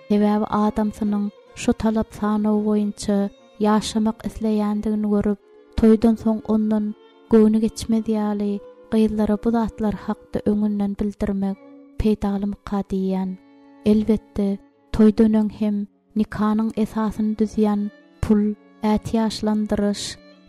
Sebäbi adamsynyň şu talap sanawy boýunça ýaşamak isleýändigini görüp, toýdan soň ondan göwni geçmez ýaly gyzlara bu zatlar hakda öňünden bildirmek peýdalymyka diýýän. Elbetde, toýdan öň hem nikanyň esasyny düzýän pul, ätiýaçlandyryş,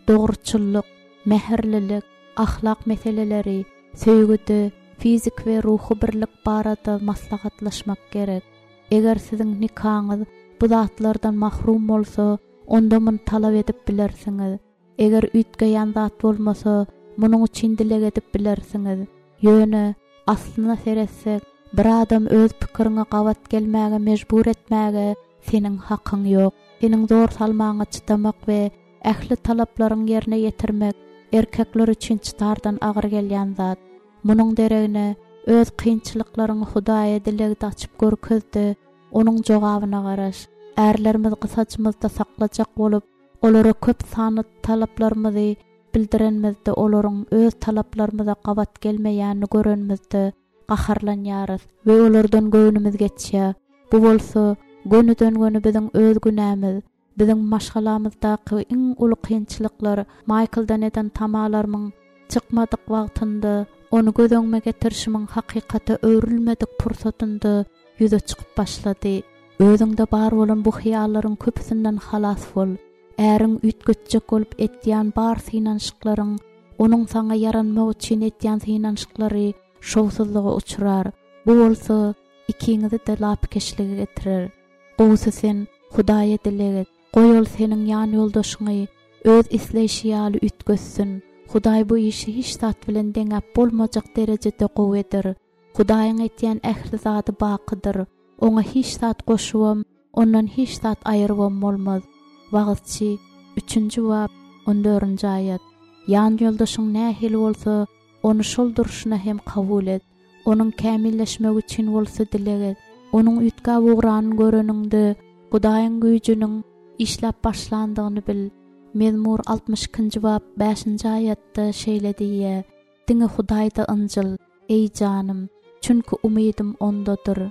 dogruçyllyk, mähirlilik, ahlak meseleleri, söýgüde, fizik we ruhy birlik barada maslahatlaşmak gerek. Eger siziň nikaňyz bu zatlardan mahrum bolsa, onda muny talap edip bilersiňiz. Eger üýtgeýän zat bolmasa, munuň üçin dileg edip bilersiňiz. Ýöne aslyna seretsek, bir adam öz pikiriňe gabat gelmäge mejbur etmäge seniň hakyň ýok. Seniň zor salmaňa çydamak we ähli talaplaryň ýerine ýetirmek erkekler üçin çydardan agyr gelýän zat. Munuň deregine öz kynçylyklaryňy Hudaýa dilegde açyp görkezdi, onuň jogabyna garaş. Ärlerimiz gysajymyzda saklajak bolup, olara köp sanly talaplarymyzy bildirenimizde olaryň öz talaplarymyza gabat gelmeýänini görenimizde gaharlanýarys we olardan göwnümiz geçýär. Bu bolsa gönüden-göni biziň öz günämiz. Biziň maşgalamyzdaky iň uly kynçylyklar Maýkldan eden tamalarymyň çykmadyk wagtynda, ony göz öňüme getirişimiň hakykata öwrülmedik pursatynda ýüze çykyp başlady. Özüňde bar bolan bu hyýallaryň köpüsinden halas bol. Äriň üýtgetjek bolup etýän bar synanyşyklaryň, onuň saňa ýaranmak üçin etýän synanyşyklary şowsuzlyga uçrar. Bu bolsa ikiňizi-de lapykeçlige getirer. Gowusy sen Hudaýa dileg et. Goý ol seniň ýan ýoldaşyňy öz isleýşi ýaly üýtgetsin. Hudaý bu işi hiç zat bilen deňäp bolmajak derejede gowy eder. Hudaýyň etýän ähli zady bakydyr. Oňa hiç zat goşubam, ondan hiç zat aýyrybam bolmaz. Wagyzçy, üçünji bap, on dördünji aýat. Ýan ýoldaşyň nähili bolsa, ony şol durşuna hem kabul et. Onuň kämilleşmegi üçin bolsa dileg et. Onuň üýtgäp ugranyny göreniňde, Hudaýyň güýjüniň işläp başlandygyny bil. Mezmur altmyş ikinji bap, bäşinji aýatda şeýle diýýär: Diňe Hudaýda ynjyl, eý janym, çünki umydym ondadyr.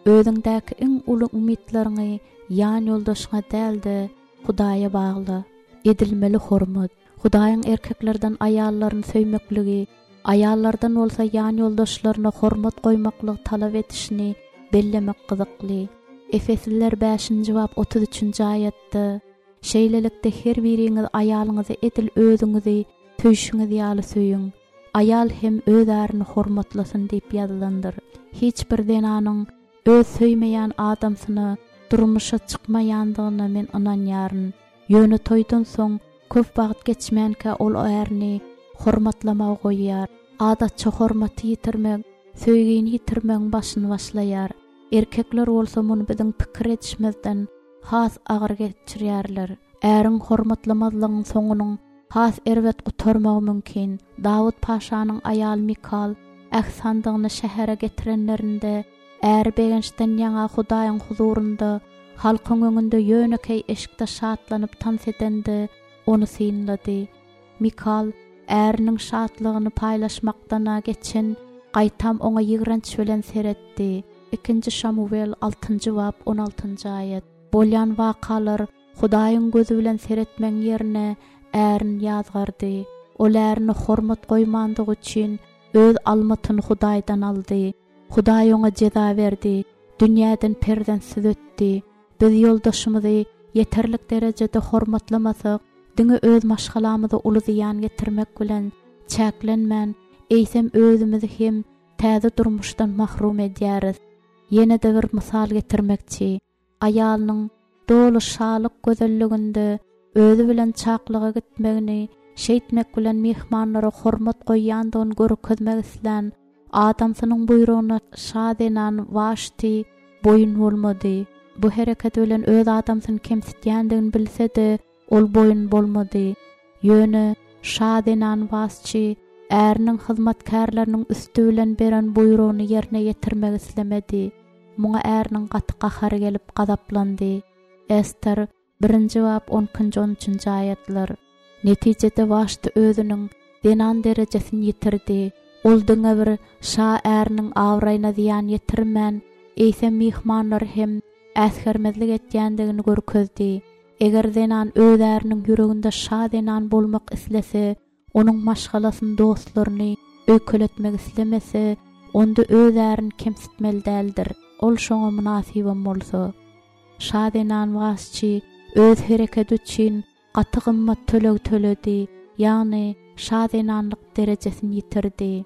Özüňdäki iň uly umytlaryňy ýan ýoldaşyňa däl-de, Hudaýa bagla. Edilmeli hormat. Hudaýyň erkeklerden aýallaryny söýmekligi Aýallardan bolsa ýanýoldaşlaryna hormat goýmaklygy talap edişini bellemek gyzykly. Efesliler bäşinji bap otuz üçünji aýatda, Şeýlelikde her biriňiz aýalyňyzy edil özüňizi söýşüňiz ýaly söýüň, aýal hem öz ärini hormatlasyn diýip ýazylandyr. Hiç bir zenanyň öz söýmeýän adamsyna durmuşa çykmaýandygyna men ynanýaryn. Ýöne toýdan soň köp wagt geçmänkä ol ärini hormatlamagy goýýar. Adatça hormaty ýitirmek, söýgini ýitirmegiň başyny başlaýar. Erkekler bolsa muny biziň pikir edişimizden has agyr geçirýärler. Äriň hormatlamazlygyň soňunyň has erbet gutarmagy mümkin. Dawut paşanyň aýaly Mikal äht sandygyny şähere getirenlerinde, äri begençden ýaňa Hudaýyň huzurynda, halkyň öňünde ýönekeý eşikde şatlanyp tans edende, ony synlady. Mikal äriniň şatlygyny paýlaşmakdan-a geçen, gaýtam oňa ýigrenç bilen seretdi. Ikinji Şamuwel altynjy bap on altynjy aýat. Bolýan wakalar Hudaýyň gözi bilen seretmegiň ýerine ärini ýazgardy. Ol ärine hormat goýmandygy üçin öz almatyny Hudaýdan aldy. Hudaý oňa jeza berdi, dünýäden perzentsiz ötdi. Biz ýoldaşymyzy ýeterlik derejede hormatlamasak, diňe öz maşgalamyza uly zyýan getirmek bilen çäklenmän, eýsem özümizi hem täze durmuşdan mahrum edýäris. Ýene-de bir mysal getirmekçi. Aýalynyň doly şalyk gözelliginde özi bilen çaklyga gitmegini, şeýtmek bilen myhmanlara hormat goýýandygyny görkezmek islän adamsynyň buýrugyna şa zenan Waşti boýun bolmady. Bu hereketi bilen öz adamsyny kemsitýändigini bilse-de, ol boýun bolmady. Ýöne şa zenan Waşti äriniň hyzmatkärleriniň üsti bilen beren buýrugyny ýerine ýetirmek islemedi. Muňa äriniň gaty gahary gelip gazaplandy. Ester birinji bap on ikinji on üçünji aýatlar. Netijede Waşti özüniň zenan derejesini ýitirdi. Ol diňe bir şa äriniň abraýyna zyýan ýetirmän, eýsem myhmanlary hem äsgermezlik etýändigini görkezdi. Eger zenan öz äriniň ýüreginde şa zenan bolmak islese, onuň maşgalasyny, dostlaryny öýkeletmek islemese, onda öz ärini kemsitmeli däldir. Ol şoňa mynasybam bolsa. Şa zenan Waşti öz hereketi üçin gaty gymmat töleg töledi, ýagny şa zenanlyk derejesini ýitirdi.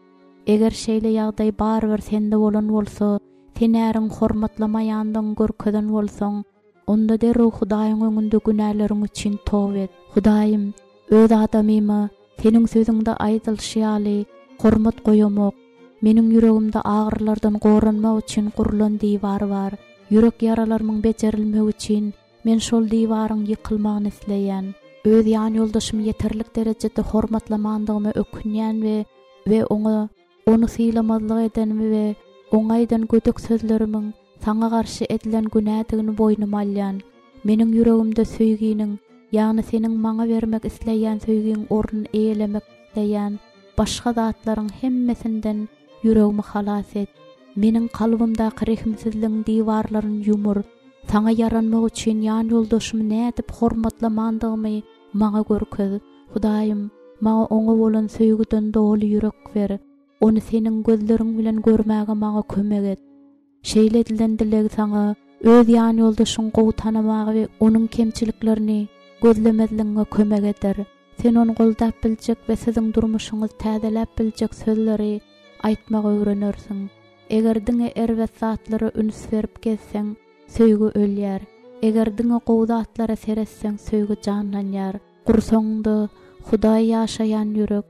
Eger şeýle ýagdaý barybir sende bolan bolsa, sen äriň hormatlamaýandygyny görkezen bolsaň, onda derrew Hudaýyň öňünde günäleriň üçin toba et. Hudaýym, öz adamyma seniň sözüňde aýdylyşy ýaly hormat goýamok. Meniň ýüregimde agyrylardan goranmak üçin gurlan diwar bar. Ýürek ýaralarymyň bejerilmegi üçin men şol diwaryň ýykylmagyny isleýän. Öz ýan ýoldaşymy ýeterlik derejede hormatlamandygyma ökünýän we, we oňa ony sylamazlyk edenimi we oňa aýdan gödek sözlerimiň saňa garşy edilen günädigini boýnuma alýan. Meniň ýüregimde söýginiň, ýagny seniň maňa bermek isleýän söýgiň ornuny eýelemek isleýän başga zatlaryň hemmesinden ýüregimi halas et. Meniň kalbymdaky rehimsizligiň diwarlaryny ýumur. Saňa ýaranmak üçin ýan ýoldaşymy nädip hormatlamandygymy maňa görkez. Hudaýym, maňa oňa bolan söýgüden doly ýürek ber. Ony seniň gözleriň bilen görmäge maňa kömek et. Şeýle edilen dileg saňa öz ýan ýoldaşyň gowy tanamagy we onuň kemçiliklerini gözlemezligiňe kömek eder. Sen ony goldap biljek we siziň durmuşyňyzy täzeläp biljek sözleri aýtmagy öwrenersiň. Eger diňe erbet zatlara üns berip gezseň, söýgi ölýär. Eger diňe gowy zatlara seretseň, söýgi janlanýar. Gursaňda Hudaý ýaşaýan ýürek,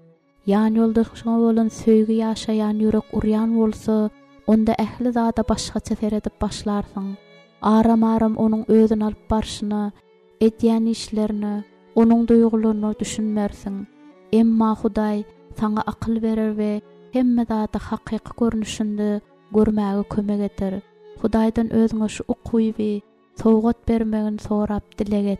ýan ýoldaşyňa bolan söýgi ýaşaýan ýürek urýan bolsa, onda ähli zada başgaça seredip başlarsyň. Aram-aram onuň özüni alyp barşyna, edýän işlerine, onuň duýgularyna düşünmersiň. Emma Hudaý saňa akyl berer we hemme zady hakyky görnüşinde görmäge kömek eder. Hudaýdan özüňe şu ukyby sowgat bermegini sorap dileg et.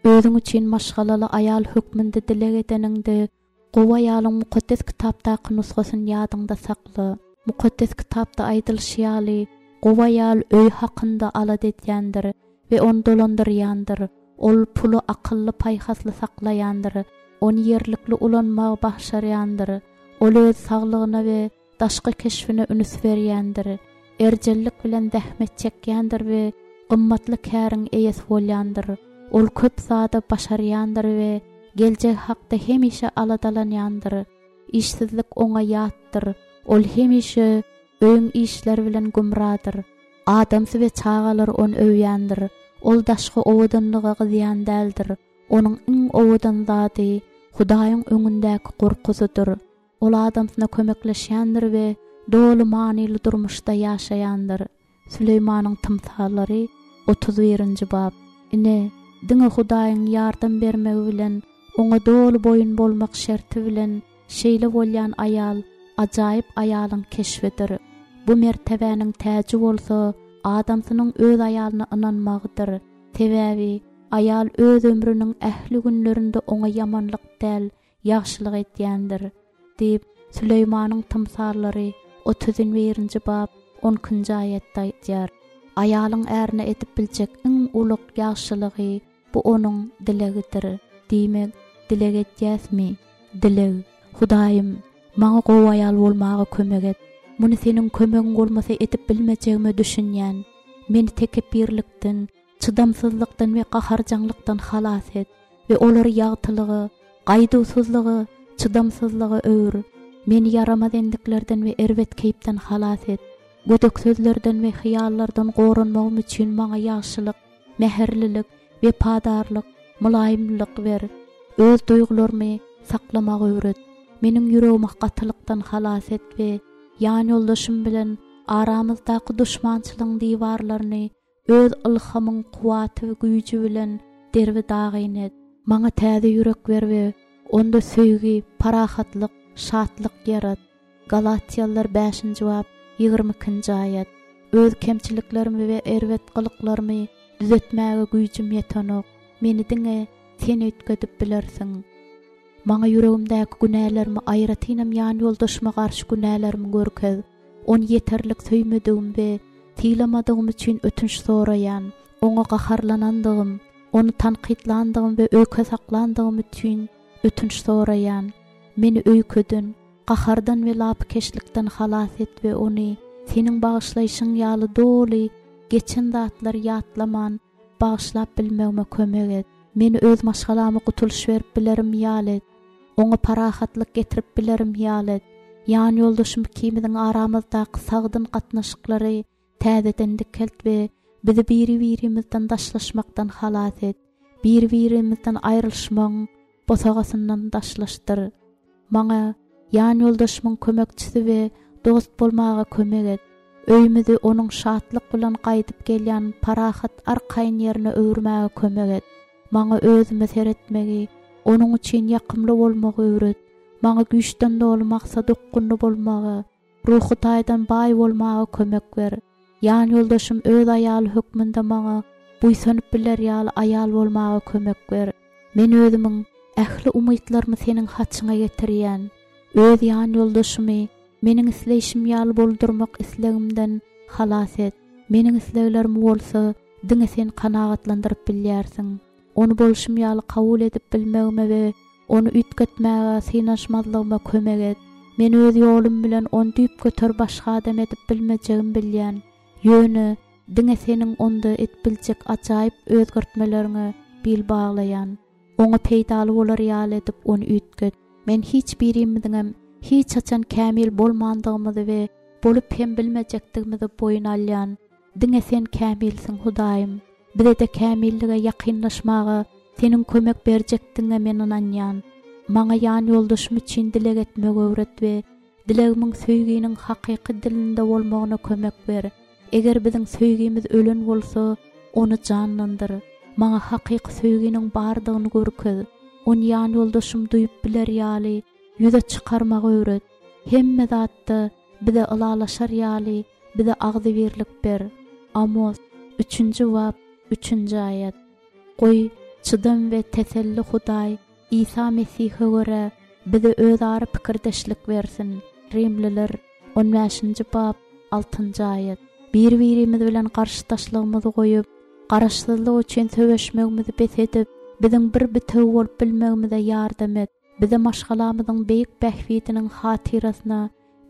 Özüň üçin maşgalaly aýal hökmünde dileg edeniňde, gowy aýalyň mukaddes kitapdaky nusgasyny ýadyňda sakla. Mukaddes kitapda aýdylyşy ýaly, gowy aýal öý hakynda alada edýändir we ony dolandyrýandyr. Ol puly akylly paýhasly saklaýandyr, ony ýerlikli ulanmagy başarýandyr. Ol öz saglygyna we daşky keşbine üns berýändir. Erjellik bilen zähmet çekýändir we gymmatly käriň eýesi bolýandyr. Ol köp zada başarýandyr we geljek hakda hemişe aladalanýandyr. Işsizlik oňa ýatdyr. Ol hemişe öýüň işleri bilen gümradyr. Adamsy we çagalar ony öwýändir. Ol daşky owadanlyga gyzýan däldir. Onuň iň owadan zady Hudaýyň öňündäki gorkusydyr. Ol adamsyna kömekleşýändir we doly manyly durmuşda ýaşaýandyr. Süleýmanyň tymsallary otuz birinji bap. Ine, diňe Hudaýyň ýardam bermegi bilen, oňa doly boýun bolmak şerti bilen şeýle bolýan aýal ajaýyp aýalyň keşbidir. Bu mertebäniň täji bolsa adamsynyň öz aýalyna ynanmagydyr. Sebäbi aýal öz ömrüniň ähli günlerinde oňa ýamanlyk däl, ýagşylyk edýändir diýip Süleýmanyň tymsallary otuz birinji bap on ikinji aýatda aýdýar. Aýalyň ärine edip biljek iň uly ýagşylygy bu onuň dilegidir. Diýmek, dileg etýäsmi? Dileg. Hudaýym, maňa gowy aýal bolmaga kömek et. Muny seniň kömegiň bolmasa edip bilmejegime düşünýän. Meni tekepbirlikden, çydamsyzlykdan we gaharjaňlykdan halas et we olary ýagtylyga, gaýduwsyzlyga, çydamsyzlyga öwür. Meni ýaramaz endiklerden we erbet keýpden halas et. Gödek sözlerden we hyýallardan goranmagym üçin maňa ýagşylyk, mähirlilik, wepadarlyk, mylaýymlyk ber. Öz duýgularymy saklamagy öwret. Meniň ýüregimi gatylykdan halas et we ýan ýoldaşym bilen aramyzdaky duşmançylygyň diwarlaryny öz ylhamyň kuwwaty we güýji bilen derbi dagyn et. Maňa täze ýürek ber we onda söýgi, parahatlyk, şatlyk ýarat. Galatýalylar bäşinji bap ýigrimi ikinji aýat. Öz kemçiliklerimi we erbet gylyklarymy düzetmäge güýjüm ýetenok. Meni diňe sen üýtgedip bilersiň. Maňa ýüregimdäki günälerimi, aýratynam ýan ýoldaşyma garşy günälerimi görkez. Ony ýeterlik söýmedigim we sylamadygym üçin ötünç soraýan, oňa gaharlanandygym, ony tankytlandygym we öýke saklandygym üçin ötünç soraýan. Meni öýkeden, gahardan we lapykeçlikden halas et we ony seniň bagyşlaýşyň ýaly doly geçen zatlary ýatlaman bagyşlap bilmegime kömek et. Meni öz maşgalama gutulyş berip bilerim ýaly et. Oňa parahatlyk getirip bilerim ýaly et. Ýan ýoldaşym ikimiziň aramyzdaky sagdyn gatnaşyklary täzeden dikelt we bizi biri-birimizden daşlaşmakdan halas et. Bir-birimizden aýrylyşmagyň bosagasyndan daşlaşdyr. Maňa ýan ýoldaşymyň kömekçisi we dost bolmaga kömek et. Öýümizi onuň şatlyk bilen gaýdyp gelýän parahat arkaýyn ýerine öwürmäge kömek et. Maňa özüme seretmegi, onuň üçin ýakymly bolmagy öwret. Maňa güýçden doly maksat okgunly bolmagy, ruhy taýdan baý bolmaga kömek ber. Ýan ýoldaşym öz aýaly hökmünde maňa buýsanyp biler ýaly aýal bolmaga kömek ber. Men özümiň ähli umytlarymy seniň haçyňa getirýän. Öz ýan ýoldaşymy meniň isleýşim ýaly boldurmak islegimden halas et. Meniň isleglerimi bolsa diňe sen kanagatlandyryp bilýärsiň. Ony bolşum ýaly kabul edip bilmegime we ony üýtgetmäge synaşmazlygyma kömek et. Men öz ýolum bilen ony düýpgöter başga adam edip bilmejegimi bilýän. Ýöne diňe seniň onda edip biljek ajaýyp özgertmeleriňe bil baglaýan. Oňa peýdaly bolar ýaly edip ony üýtget. Men hiç birimiziňem hiç haçan kämil bolmandygymyzy we bolup hem bilmejekdigimizi boýun alýan. Diňe sen kämilsiň Hudaýym. Bize-de kämillige ýakynlaşmaga seniň kömek berjekdigiňe men ynanýan. Maňa ýan ýoldaşym üçin dileg etmegi öwret we dilegimiň söýginiň hakyky dilinde bolmagyna kömek ber. Eger biziň söýgimiz ölen bolsa, ony janlandyr. Maňa hakyky söýginiň bardygyny görkez. Ony ýan ýoldaşym duýup biler ýaly ýüze çykarmagy öwret. Hemme zatda bize ylalaşar ýaly bize agzybirlik ber. Amos üçünji bap üçünji aýat. Goý, çydam we teselli Hudaý Isa Mesihe görä bize özara pikirdeşlik bersin. Rimliler on bäşinji bap altynjy aýat. Bir-birimiz bilen garşydaşlygymyzy goýup, garaşsyzlyk üçin söweşmegimizi bes edip, biziň bir bitewi bolup bilmegimize ýardam et. Bize maşgalamyzyň beýik bähbidiniň hatyrasyna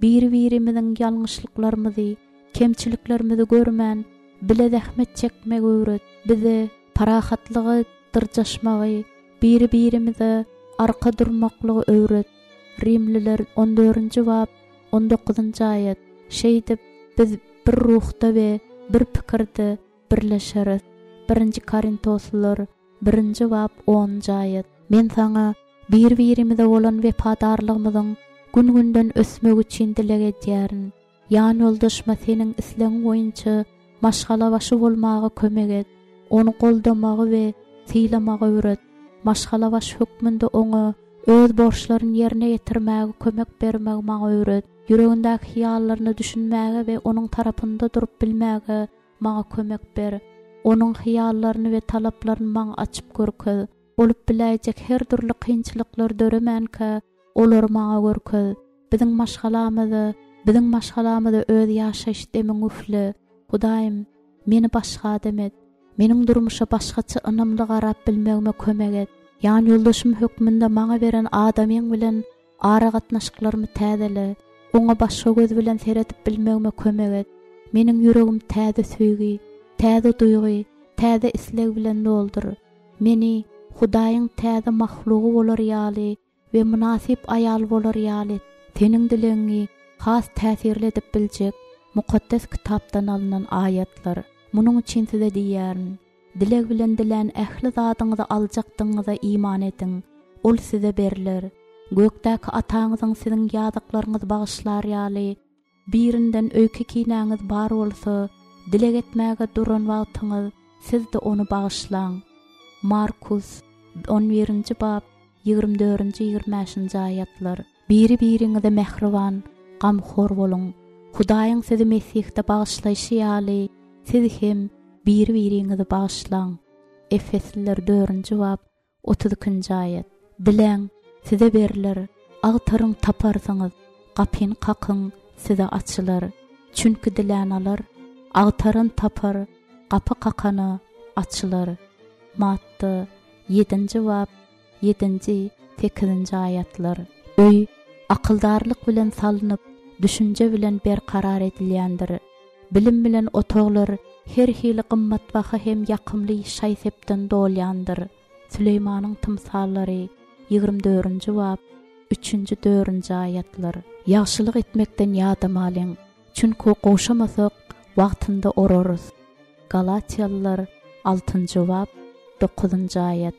biri-birimiziň ýalňyşlyklarymyzy, kemçiliklerimizi görmän, bile zähmet çekmegi öwret. Bize parahatlygy dyrjaşmagy, biri-birimize arka durmaklygy öwret. Rimliler on dördünji bap, on dokuzynjy aýat. Şeýdip, biz bir ruhda we bir pikirde birleşeris. Birinji Korintoslylar birinji bap, onunjy aýat. Men saňa bir-birimize bolan wepadarlygymyzyň gün-günden ösmegi üçin dileg edýärin. Ýan ýoldaşyma seniň islegiň boýunça maşgalabaşy bolmaga kömek et. Ony goldamagy we sylamagy öwret. Maşgalabaşy hökmünde oňa öz borçlaryny ýerine ýetirmäge kömek bermegi maňa öwret. Ýüregindäki hyýallaryna düşünmäge we onuň tarapynda durup bilmäge maňa kömek ber. Onuň hyýallaryny we talaplaryny maňa açyp görkez. Bolup biläýjek her dürli kynçylyklar döremänkä olary maňa görkez. Biziň maşgalamyza, biziň maşgalamyza öz ýaşaýyş demiň üfle. Hudaýym, meni başga adam et. Meniň durmuşa başgaça ynamly garap bilmegime kömek et. Ýan ýoldaşym hökmünde maňa beren adamyň bilen aragatnaşyklarymy täzele. Oňa başga göz bilen seredip bilmegime kömek et. Meniň ýüregim täze söýgi, täze duýgy, täze isleg bilen doldur. Meni Hudaýyň täze mahlugy bolar ýaly we mynasyp aýal bolar ýaly seniň dilegiňi has täsirli edip biljek mukaddes kitapdan alnan aýatlar. Munuň üçin size diýýärin. Dileg bilen dilän ähli zadyňyzy aljakdygyňyza iman ediň. Ol size berler. Gökdäki ataňyzyň siziň ýazyklaryňyzy bagyşlar ýaly, birinden öýke kinäňiz bar bolsa, dileg etmäge duran wagtyňyz siz-de ony bagyşlaň. Markus on birinji bap, ýigrimi dördünji, ýigrimi bäşinji aýatlar. Biri-biriňize mähriban, gamhor boluň. Hudaýyň sizi Mesihde bagyşlaýşy ýaly, siz hem biri-biriňizi bagyşlaň. Efesliler dördünji bap, otuz ikinji aýat. Diläň, size berler, agtaryň taparsyňyz, gapyny kakyň, size açylar. Çünki dilän alar, agtaran tapar, gapy kakana açylar. Matta ýedinji bap, ýedinji, sekizinji aýatlar. Öý akyldarlyk bilen salnyp, düşünje bilen berkarar edilýändir. Bilim bilen otaglar her hili gymmatbaha hem ýakymly şaý-sepden dolýandyr. Süleýmanyň tymsallary ýigrimi dördünji bap, üçünji, dördünji aýatlar. Ýagşylyk etmekden ýadamalyň, çünki gowşamasak wagtynda orarys. Galatiýalylar altynjy bap, dokuzynjy aýat.